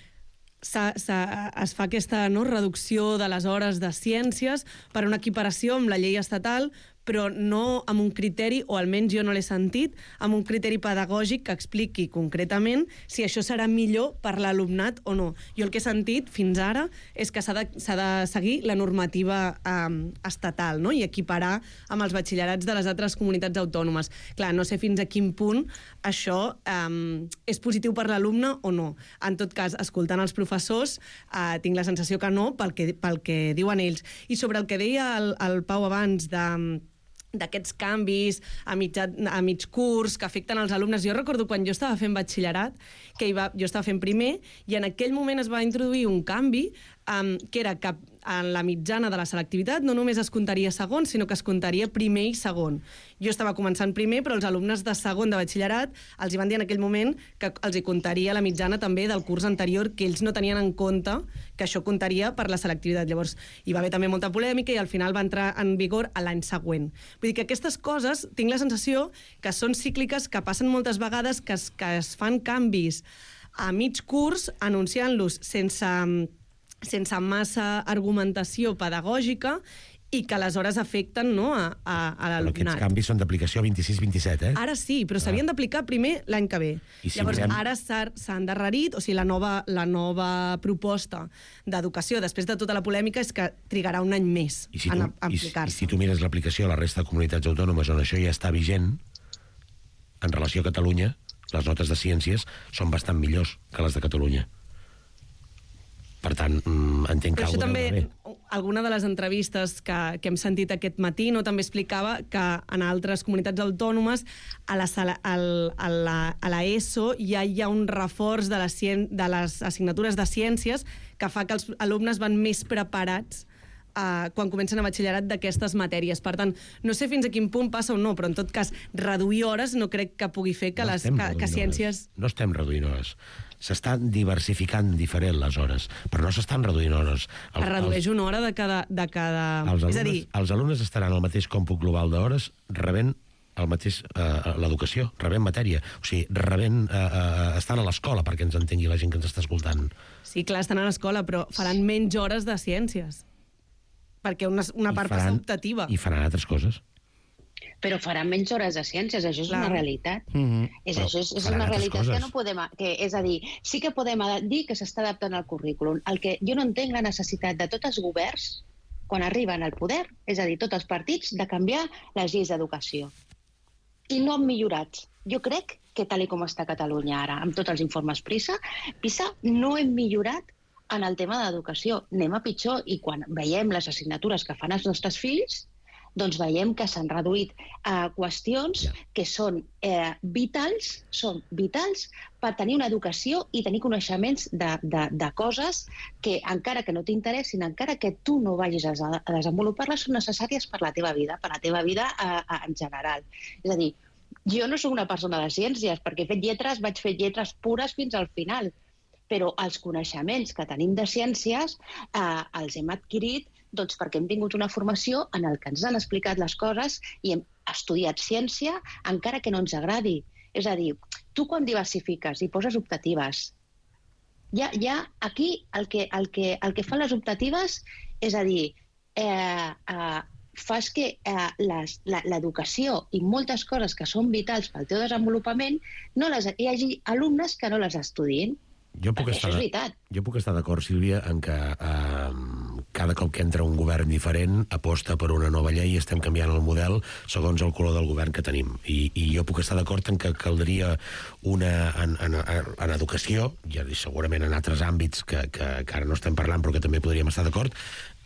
Sa, sa, es fa aquesta no, reducció de les hores de ciències per una equiparació amb la llei estatal, però no amb un criteri, o almenys jo no l'he sentit, amb un criteri pedagògic que expliqui concretament si això serà millor per l'alumnat o no. Jo el que he sentit fins ara és que s'ha de, s'ha de seguir la normativa eh, estatal, no? I equiparar amb els batxillerats de les altres comunitats autònomes. Clar, no sé fins a quin punt això eh, és positiu per l'alumne o no. En tot cas, escoltant els professors, eh, tinc la sensació que no, pel que, pel que diuen ells. I sobre el que deia el, el Pau abans de d'aquests canvis a, mitja, a mig curs que afecten els alumnes. Jo recordo quan jo estava fent batxillerat, que hi va, jo estava fent primer, i en aquell moment es va introduir un canvi um, que era que en la mitjana de la selectivitat no només es comptaria segon, sinó que es comptaria primer i segon. Jo estava començant primer, però els alumnes de segon de batxillerat els hi van dir en aquell moment que els hi comptaria la mitjana també del curs anterior, que ells no tenien en compte que això comptaria per la selectivitat. Llavors, hi va haver també molta polèmica i al final va entrar en vigor a l'any següent. Vull dir que aquestes coses, tinc la sensació que són cícliques, que passen moltes vegades, que es, que es fan canvis a mig curs, anunciant-los sense... sense massa argumentació pedagògica i que aleshores afecten no, a, a, a l'alumnat. Aquests canvis són d'aplicació vint-i-sis vint-i-set, eh? Ara sí, però s'havien ah. d'aplicar primer l'any que ve. I si Llavors, mirem... ara s'ha endarrerit, o sigui, la nova, la nova proposta d'educació, després de tota la polèmica, és que trigarà un any més I si tu, en aplicar-se. I, I si tu mires l'aplicació a la resta de comunitats autònomes on això ja està vigent, en relació a Catalunya, les notes de ciències són bastant millors que les de Catalunya. Per tant, entenc que alguna també, bé. Alguna de les entrevistes que, que hem sentit aquest matí no també explicava que en altres comunitats autònomes a la, a la, a la ESO ja hi ha un reforç de, la, de les assignatures de ciències que fa que els alumnes van més preparats Uh, quan comencen a batxillerat d'aquestes matèries. Per tant, no sé fins a quin punt passa o no, però en tot cas, reduir hores no crec que pugui fer que, no les, que, que ciències... Hores. No estem reduint hores. S'estan diversificant diferent les hores, però no s'estan reduint hores. El, es redueix els, una hora de cada... De cada... Els alumnes, és a dir... els alumnes estaran al mateix còmput global d'hores rebent el mateix, eh, l'educació, rebent matèria. O sigui, rebent, eh, eh, estan a l'escola, perquè ens entengui la gent que ens està escoltant. Sí, clar, estan a l'escola, però faran menys hores de ciències. Perquè una, una part faran, passa optativa. I faran altres coses. Però faran menys hores de ciències, això és Clar. una realitat. Mm-hmm. És, això és, és una realitat coses. que no podem... Que, és a dir, sí que podem dir que s'està adaptant al currículum. El que jo no entenc la necessitat de tots els governs, quan arriben al poder, és a dir, tots els partits, de canviar les lleis d'educació. I no han millorat. Jo crec que tal com està Catalunya ara, amb tots els informes PISA, PISA no hem millorat en el tema d'educació. Anem a pitjor, i quan veiem les assignatures que fan els nostres fills, doncs veiem que s'han reduït eh, qüestions yeah. que són eh, vitals, són vitals per tenir una educació i tenir coneixements de, de, de coses que, encara que no t'interessin, encara que tu no vagis a, a desenvolupar-les, són necessàries per la teva vida, per la teva vida eh, en general. És a dir, jo no soc una persona de ciències, perquè he fet lletres, vaig fer lletres pures fins al final, però els coneixements que tenim de ciències eh, els hem adquirit doncs, perquè hem tingut una formació en el que ens han explicat les coses i hem estudiat ciència encara que no ens agradi. És a dir, tu quan diversifiques i poses optatives, ja, ja aquí el que, el, que, el que fan les optatives és a dir, eh, eh, fas que eh, l'educació i moltes coses que són vitals pel teu desenvolupament no les, hi hagi alumnes que no les estudien. Jo puc, estar, jo puc estar d'acord, Sílvia, en que eh, cada cop que entra un govern diferent aposta per una nova llei i estem canviant el model segons el color del govern que tenim. I, i jo puc estar d'acord en que caldria una... En, en, en educació, i segurament en altres àmbits que, que, que ara no estem parlant però que també podríem estar d'acord,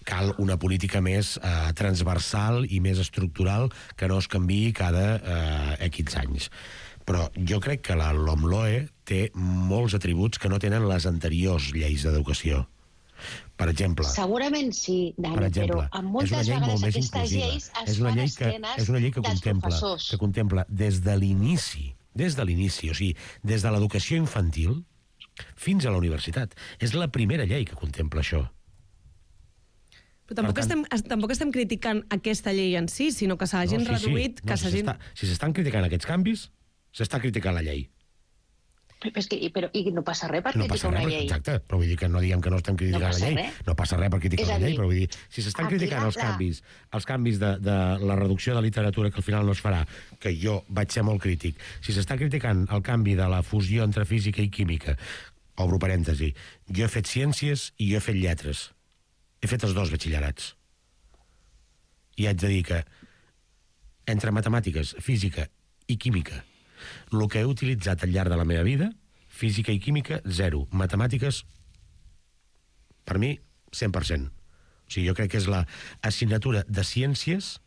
cal una política més eh, transversal i més estructural que no es canviï cada eh, X anys. Però jo crec que la LOMLOE té molts atributs que no tenen les anteriors lleis d'educació. Per exemple... Segurament sí, Dani, per exemple, però amb moltes vegades aquestes lleis es fan a esquenes és una llei que dels contempla, professors. Que contempla des de l'inici, des de l'inici, o sigui, des de l'educació infantil fins a la universitat. És la primera llei que contempla això. Però tampoc, tant, estem, tampoc estem criticant aquesta llei en si, sinó que s'hagin no, sí, reduït... Sí. No, que si s'estan criticant aquests canvis, s'està criticant la llei. Però, és que, però, I no passa res per no criticar una res, llei. Exacte, però vull dir que no diguem que no estem criticant No la llei. res. No passa res per criticar És a la llei, dir, però vull dir, si s'estan aquí criticant la- els la- canvis, els canvis de, de la reducció de literatura que al final no es farà, que jo vaig ser molt crític, si s'està criticant el canvi de la fusió entre física i química, obro parèntesi, jo he fet ciències i jo he fet lletres. He fet els dos batxillerats. I haig de dir que entre matemàtiques, física i química, el que he utilitzat al llarg de la meva vida, física i química, zero. Matemàtiques, per mi, cent per cent. O sigui, jo crec que és la assignatura de ciències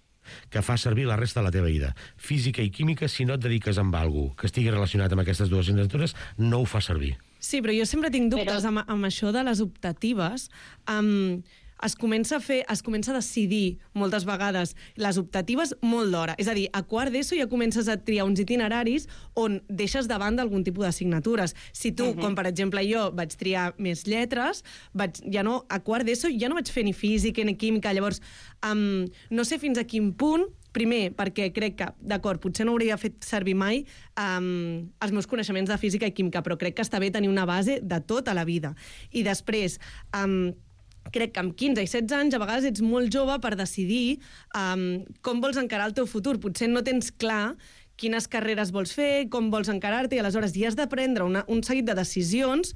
que fa servir la resta de la teva vida. Física i química, si no et dediques amb alguna cosa que estigui relacionat amb aquestes dues assignatures, no ho fa servir. Sí, però jo sempre tinc dubtes Però- amb, amb això de les optatives. Um, es comença a fer, es comença a decidir moltes vegades les optatives molt d'hora. És a dir, a quart d'ESO ja comences a triar uns itineraris on deixes de banda algun tipus d'assignatures. Si tu, uh -huh. com per exemple jo, vaig triar més lletres, vaig, ja no, a quart d'ESO ja no vaig fer ni física ni química, llavors um, no sé fins a quin punt. Primer, perquè crec que, d'acord, potser no hauria fet servir mai um, els meus coneixements de física i química, però crec que està bé tenir una base de tota la vida. I després, um, crec que amb quinze i setze anys a vegades ets molt jove per decidir um, com vols encarar el teu futur. Potser no tens clar quines carreres vols fer, com vols encarar-te, i aleshores ja has de prendre una, un seguit de decisions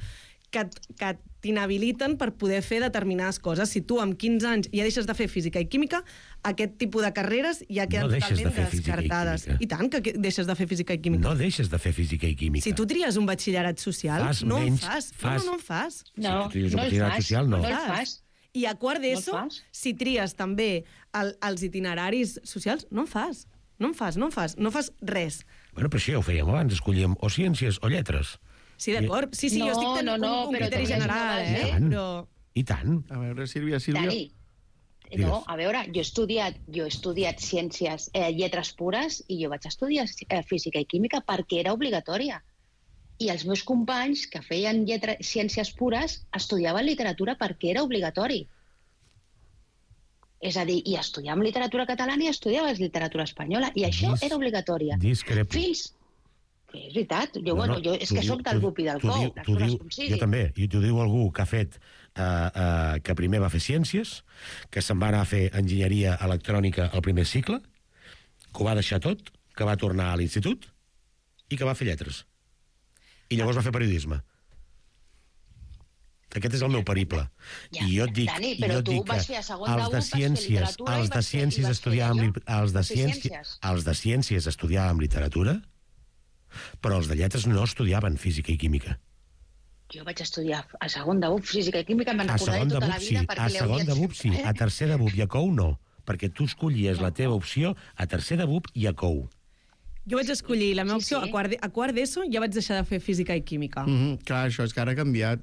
que, que t'inhabiliten per poder fer determinades coses. Si tu amb quinze anys ja deixes de fer física i química, aquest tipus de carreres ja queden No deixes de totalment fer física i descartades. química. I tant que que deixes de fer física i química. No deixes de fer física i química. Si tu tries un batxillerat social, Fas no menys- en fas. fas- No, no, no en fas. No, Si tu tries un no el batxillerat fas, social, no. no el fas. I a quart d'ESO, No el fas. si tries també el, els itineraris socials, no en fas. No en fas, no en fas. No fas res. Bueno, però això ja ho fèiem abans, escollíem o ciències o lletres. Sí, d'acord. Sí, sí, No, jo estic tenint no, no, un, un però criteri tenies una general, base. eh? Però... I tant. A veure, Sílvia, Sílvia... Dani, no, a veure, jo he estudiat, jo he estudiat ciències, eh, lletres pures, i jo vaig estudiar eh, física i química perquè era obligatòria. I els meus companys que feien lletra, ciències pures estudiaven literatura perquè era obligatori. És a dir, i estudiàvem literatura catalana i estudiaves literatura espanyola, i això Dis- era obligatòria. Discrepo. Fins... Que és veritat, jo, No, bueno, no, jo, és t'ho que diu- soc del t'ho- Gupi del t'ho Cou, diu- les t'ho coses diu- com sigui. Jo també, i t'ho diu algú que ha fet, eh, eh, que primer va fer ciències, que se'n va anar a fer enginyeria electrònica al primer cicle, que ho va deixar tot, que va tornar a l'institut i que va fer lletres. I llavors va fer periodisme. Aquest és el meu periple. Ja, I jo et dic, Dani, i però jo et tu dic que vas fer a segon de els U, de vas fer ciències, literatura i els de vas fer- i ciències vas fer estudiàvem, allò, li- els de vas fer ciències, ciències. els de ciències estudiàvem literatura, però els de lletres no estudiaven física i química. Jo vaig estudiar a segon de U física i química, me'n A recordaré segon de tota B U la P sí, vida a perquè segon de B U P sí, a tercer de B U P i a C O U no, perquè tu escollies la teva opció a tercer de B U P i a C O U. Jo vaig escollir la meva Sí, opció sí. a quart de- a quart d'ESO, ja vaig deixar de fer física i química. Mm -hmm, clar, això és que ara ha canviat.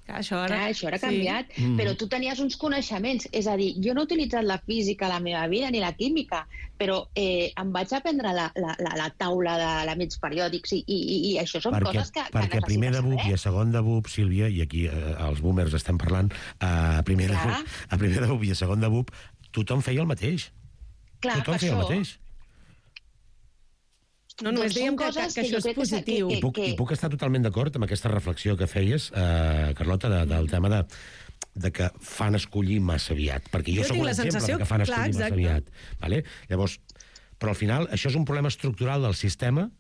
Clar, això ara... Clar, això ara ha canviat, Mm. sí. però tu tenies uns coneixements. És a dir, jo no he utilitzat la física a la meva vida, ni la química, però eh, em vaig aprendre la, la, la, la taula d'elements periòdics i, i, i, i això són perquè, coses que, que perquè a primer de B U P i a saber. segon de B U P, Sílvia, i aquí eh, els boomers estem parlant, eh, a, primer de B U Clar. P, a primer de B U P i a segon de B U P, tothom feia el mateix. Clar, tothom per feia el això, mateix. No, només Doncs són dèiem que, que, coses que que això jo és crec que s'ha- positiu. que- I puc, que- I puc estar totalment d'acord amb aquesta reflexió que feies, eh, Carlota, de, del tema de, de que fan escollir massa aviat. Perquè jo, Jo sóc tinc un la exemple sensació- de que fan clar, escollir massa exacte. aviat. Vale? Llavors, però al final això és un problema estructural del sistema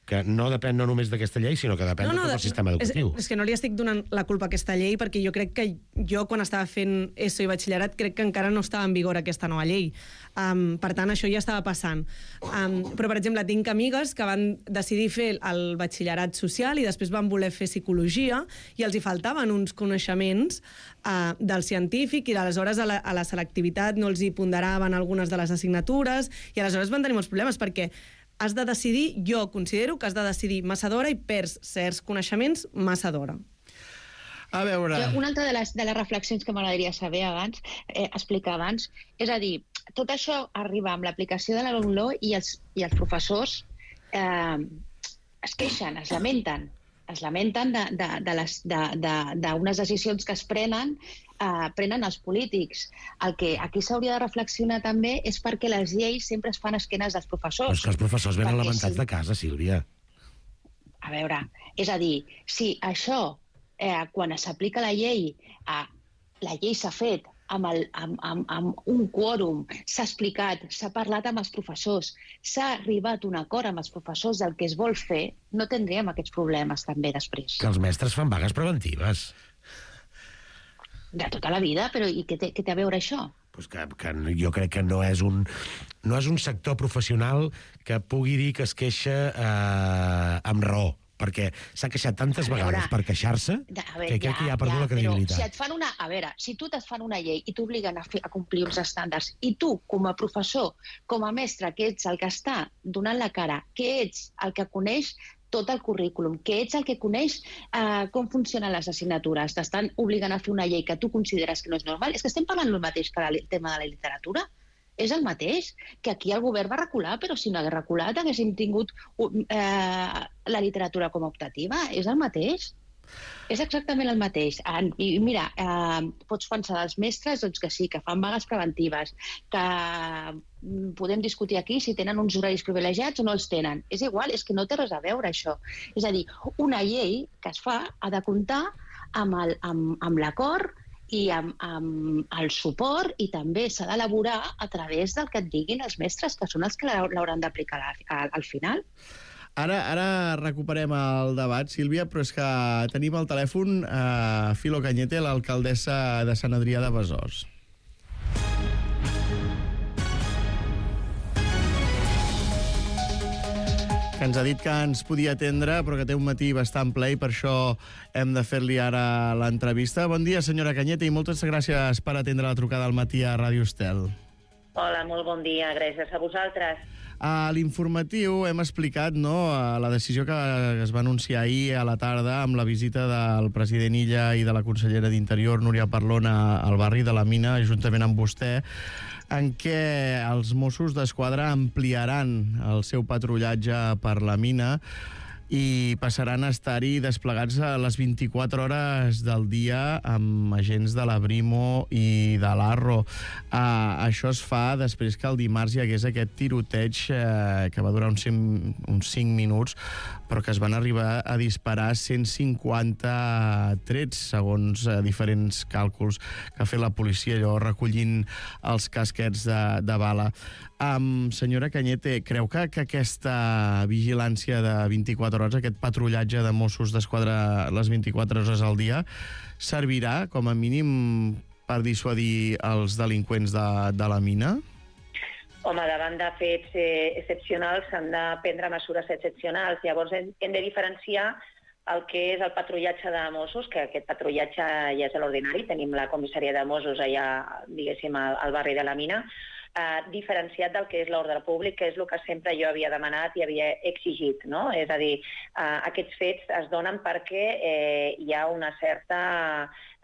que no depèn no només d'aquesta llei, sinó que depèn de tot el sistema educatiu. És, és que no li estic donant la culpa a aquesta llei, perquè jo crec que jo, quan estava fent ESO i batxillerat, crec que encara no estava en vigor aquesta nova llei. Um, per tant, això ja estava passant. Um, però, per exemple, tinc amigues que van decidir fer el batxillerat social i després van voler fer psicologia i els hi faltaven uns coneixements uh, del científic i aleshores a la, a la selectivitat no els hi ponderaven algunes de les assignatures i aleshores van tenir molts problemes perquè has de decidir, jo considero que has de decidir massa d'hora i perds certs coneixements massa d'hora. A veure... Jo, una altra de les, de les reflexions que m'agradaria saber abans, eh, explicar abans, és a dir, tot això arriba amb l'aplicació de la LOMLOE i els, i els professors eh, es queixen, es lamenten, es lamenten d'unes de, de, les- de, de, d'unes decisions que es prenen eh, prenen els polítics. El que aquí s'hauria de reflexionar també és perquè les lleis sempre es fan a esquenes dels Però professors. és que els professors venen Perquè lamentats sí. de casa, Sílvia. A veure, és a dir, si això, eh, quan s'aplica la llei, eh, la llei s'ha fet amb, el, amb, amb, amb un quòrum, s'ha explicat, s'ha parlat amb els professors, s'ha arribat a un acord amb els professors del que es vol fer, no tindríem aquests problemes també després. Que els mestres fan vagues preventives. De tota la vida, però i què té, què té a veure això? Pues que, que jo crec que no és un, no és un sector professional que pugui dir que es queixa eh, amb raó, perquè s'ha queixat tantes A veure, vegades per queixar-se veure, que crec que ja ha perdut ja, la credibilitat. Però si et fan una, a veure, si tu et fan una llei i t'obliguen a, fer, a complir uns estàndards i tu, com a professor, com a mestre, que ets el que està donant la cara, que ets el que coneix tot el currículum, que ets el que coneix eh, com funcionen les assignatures, t'estan obligant a fer una llei que tu consideres que no és normal, és que estem parlant el mateix que el tema de la literatura. És el mateix, que aquí el govern va recular, però si no hagués reculat haguéssim tingut eh, la literatura com a optativa. És el mateix. És exactament el mateix. I mira, eh, pots pensar dels mestres doncs que sí, que fan vagues preventives, que podem discutir aquí si tenen uns horaris privilegiats o no els tenen. És igual, és que no té res a veure això. És a dir, una llei que es fa ha de comptar amb, el, amb, amb l'acord i amb, amb el suport, i també s'ha d'elaborar a través del que et diguin els mestres, que són els que l'hauran d'aplicar al, al final. Ara, ara recuperem el debat, Sílvia, però és que tenim al telèfon eh, Filo Cañete, l'alcaldessa de Sant Adrià de Besòs. Que ens ha dit que ens podia atendre, però que té un matí bastant ple i per això hem de fer-li ara l'entrevista. Bon dia, senyora Cañete, i moltes gràcies per atendre la trucada al matí a Ràdio Estel. Hola, molt bon dia, gràcies a vosaltres. A l'informatiu hem explicat, no, la decisió que es va anunciar ahir a la tarda amb la visita del president Illa i de la consellera d'Interior, Núria Parlona, al barri de la Mina, juntament amb vostè, en què els Mossos d'Esquadra ampliaran el seu patrullatge per la mina i passaran a estar-hi desplegats a les vint-i-quatre hores del dia amb agents de la Brimo i de l'Arro. Uh, això es fa després que el dimarts hi hagués aquest tiroteig uh, que va durar uns cinc, uns cinc minuts, però que es van arribar a disparar cent cinquanta trets, segons uh, diferents càlculs que ha fet la policia, allò recollint els casquets de, de bala. Um, senyora Cañete, creu que, que aquesta vigilància de vint-i-quatre hores, aquest patrullatge de Mossos d'Esquadra les vint-i-quatre hores al dia, servirà com a mínim per dissuadir els delinqüents de, de la mina? Home, davant de fets eh, excepcionals s'han de prendre mesures excepcionals. Llavors hem, hem de diferenciar el que és el patrullatge de Mossos, que aquest patrullatge ja és l'ordinari. Tenim la comissaria de Mossos allà, diguéssim, al, al barri de la Mina, Uh, diferenciat del que és l'ordre públic, que és el que sempre jo havia demanat i havia exigit, no? És a dir, uh, aquests fets es donen perquè eh, hi ha una certa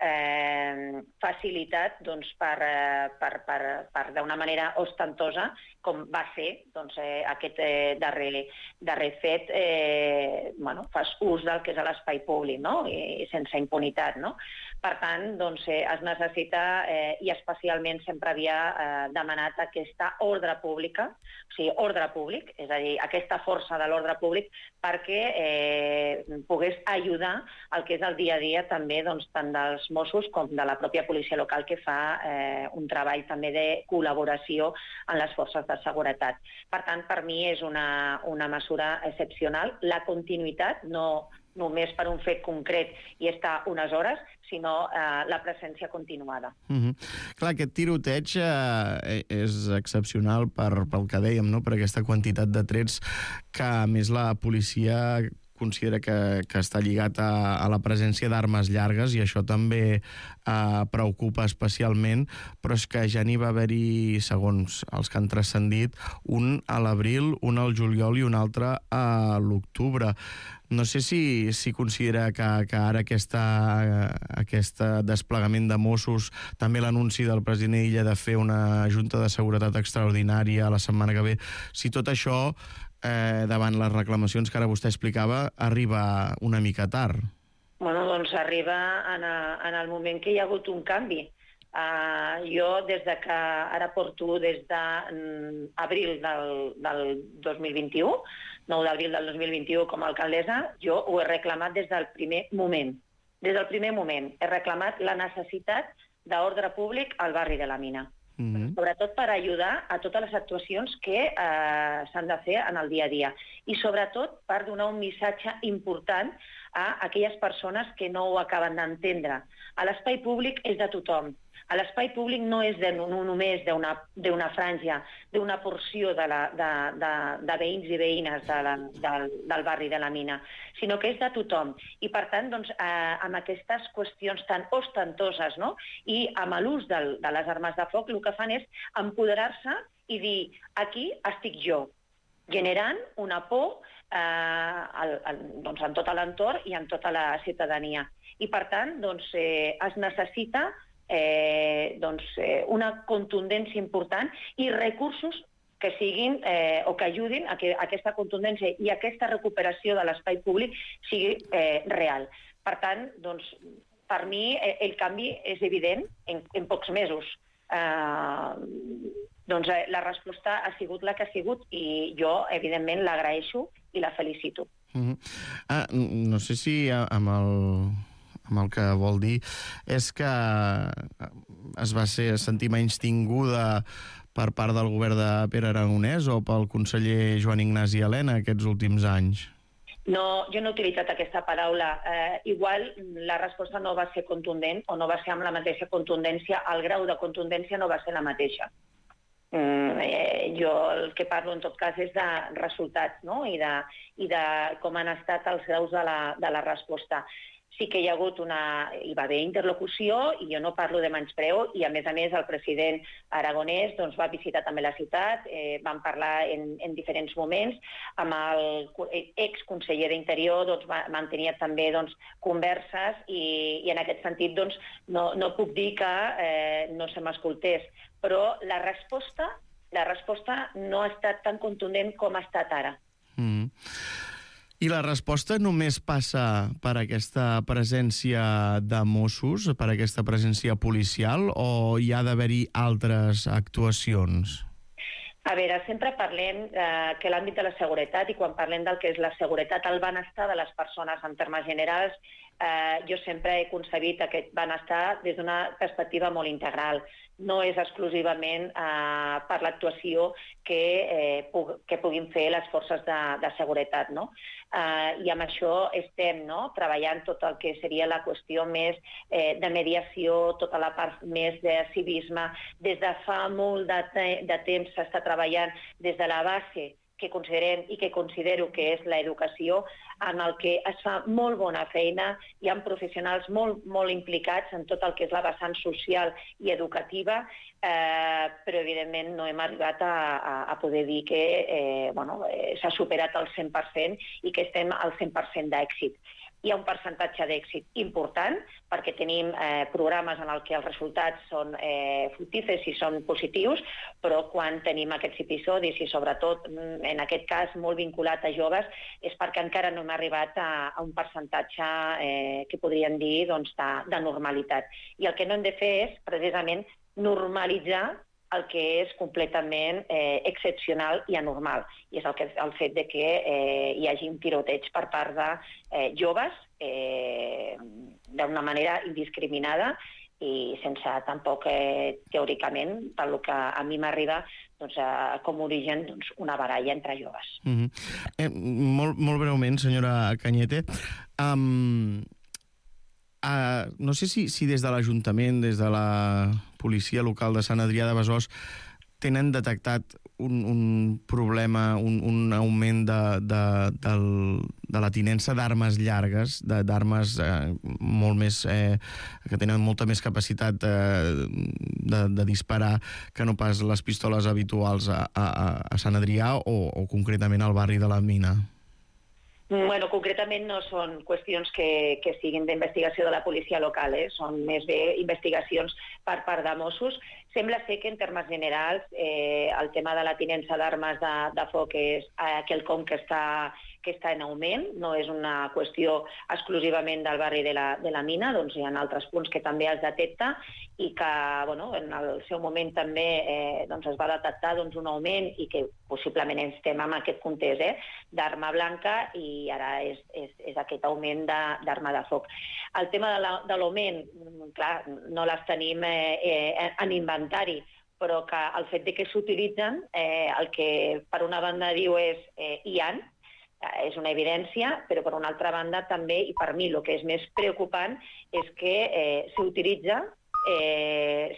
eh, facilitat doncs, per, eh, per, per, per d'una manera ostentosa, com va ser doncs, eh, aquest eh, darrer, darrer fet, eh, bueno, fas ús del que és l'espai públic, no? I, i sense impunitat, no? Per tant, doncs, eh, es necessita, eh, i especialment sempre havia eh, demanat aquesta ordre pública, o sigui, ordre públic, és a dir, aquesta força de l'ordre públic perquè eh, pogués ajudar el que és el dia a dia també doncs, tant dels Mossos com de la pròpia policia local, que fa eh, un treball també de col·laboració en les forces de seguretat. Per tant, per mi és una, una mesura excepcional. La continuïtat, no només per un fet concret i estar unes hores, sinó eh, la presència continuada. Mm-hmm. Clar, aquest tiroteig eh, és excepcional per, pel que dèiem, no? Per aquesta quantitat de trets que, a més, la policia considera que, que està lligat a, a la presència d'armes llargues, i això també eh, preocupa especialment, però és que ja n'hi va haver-hi, segons els que han transcendit, un a l'abril, un al juliol i un altre a l'octubre. No sé si, si considera que, que ara aquesta, aquest desplegament de Mossos, també l'anunci del president Illa de fer una junta de seguretat extraordinària la setmana que ve, si tot això, eh, davant les reclamacions que ara vostè explicava, arriba una mica tard. Bueno, doncs arriba en, a, en el moment que hi ha hagut un canvi. Uh, jo, des de que ara porto des d'abril del, del dos mil vint-i-u, nou d'abril del dos mil vint-i-u com a alcaldessa, jo ho he reclamat des del primer moment. Des del primer moment he reclamat la necessitat d'ordre públic al barri de la Mina. Mm-hmm. Sobretot per ajudar a totes les actuacions que eh, s'han de fer en el dia a dia. I sobretot per donar un missatge important a aquelles persones que no ho acaben d'entendre. A l'espai públic és de tothom. A l'espai públic no és de, no només d'una franja, d'una porció de, la, de, de, de veïns i veïnes de la, del, del barri de la Mina, sinó que és de tothom. I, per tant, doncs, eh, amb aquestes qüestions tan ostentoses, no? I amb l'ús de les armes de foc, el que fan és empoderar-se i dir, aquí estic jo, generant una por eh, al, al, doncs, en tot l'entorn i en tota la ciutadania. I, per tant, doncs, eh, es necessita Eh, doncs, eh, una contundència important i recursos que siguin eh, o que ajudin a que aquesta contundència i aquesta recuperació de l'espai públic sigui eh, real. Per tant, doncs, per mi eh, el canvi és evident en, en pocs mesos. Eh, doncs eh, la resposta ha sigut la que ha sigut i jo, evidentment, l'agraeixo i la felicito. Mm-hmm. ah, no sé si amb el... amb el que vol dir és que es va ser, sentir menys tinguda per part del govern de Pere Aragonès o pel conseller Joan Ignasi Elena aquests últims anys? No, jo no he utilitzat aquesta paraula. Eh, igual la resposta no va ser contundent o no va ser amb la mateixa contundència, el grau de contundència no va ser la mateixa. Mm, eh, jo el que parlo en tot cas és de resultats, no? I, de, i de com han estat els graus de la, de la resposta. Sí que hi ha hagut una... hi va haver interlocució i jo no parlo de menyspreu i, a més a més, el president Aragonès doncs, va visitar també la ciutat, eh, van parlar en, en diferents moments, amb el exconseller d'Interior doncs, mantenia també doncs, converses i, i en aquest sentit doncs, no, no puc dir que eh, no se m'escoltés, però la resposta, la resposta no ha estat tan contundent com ha estat ara. Mm. I la resposta només passa per aquesta presència de Mossos, per aquesta presència policial, o hi ha d'haver-hi altres actuacions? A veure, sempre parlem eh, que l'àmbit de la seguretat, i quan parlem del que és la seguretat, el benestar de les persones en termes generals, eh, jo sempre he concebit aquest benestar des d'una perspectiva molt integral. No és exclusivament eh, per l'actuació que, eh, pu que puguin fer les forces de, de seguretat, no? Eh, I amb això estem no? treballant tot el que seria la qüestió més eh, de mediació, tota la part més de civisme. Des de fa molt de, te de temps s'està treballant des de la base que considerem i que considero que és l'educació, en el que es fa molt bona feina, hi ha professionals molt, molt implicats en tot el que és la vessant social i educativa, eh, però evidentment no hem arribat a, a, a poder dir que eh, bueno, eh, s'ha superat el cent per cent i que estem al cent per cent d'èxit. Hi ha un percentatge d'èxit important perquè tenim eh, programes en el que els resultats són eh, fructífers i són positius, però quan tenim aquests episodis i sobretot en aquest cas molt vinculat a joves és perquè encara no hem arribat a, a un percentatge eh, que podríem dir doncs, de, de normalitat. I el que no hem de fer és precisament normalitzar el que és completament eh, excepcional i anormal. I és el, que, el fet de que eh, hi hagi un tiroteig per part de eh, joves eh, d'una manera indiscriminada i sense tampoc, eh, teòricament, pel que a mi m'arriba, doncs, eh, com origen doncs, una baralla entre joves. Mm-hmm. eh, molt, molt breument, senyora Cañete, um, uh, no sé si, si des de l'Ajuntament, des de la policia local de Sant Adrià de Besòs, tenen detectat un, un problema, un, un augment de, de, del, de la tinença d'armes llargues, d'armes eh, molt més, eh, que tenen molta més capacitat eh, de, de disparar que no pas les pistoles habituals a, a, a Sant Adrià o, o concretament al barri de la Mina? Bueno, concretament no són qüestions que, que siguin d'investigació de la policia local, eh? Són més bé investigacions per part de Mossos. Sembla ser que en termes generals eh, el tema de la tinença d'armes de, de foc és eh, quelcom que està que està en augment, no és una qüestió exclusivament del barri de la, de la Mina, doncs hi ha altres punts que també es detecta i que bueno, en el seu moment també eh, doncs es va detectar doncs, un augment i que possiblement estem en aquest context eh, d'arma blanca i ara és, és, és aquest augment d'arma de, de foc. El tema de l'augment, clar, no les tenim eh, eh, en inventari, però que el fet de que s'utilitzen, eh, el que per una banda diu és eh, hi han, eh, és una evidència, però per una altra banda també, i per mi el que és més preocupant, és que eh, s'utilitza eh,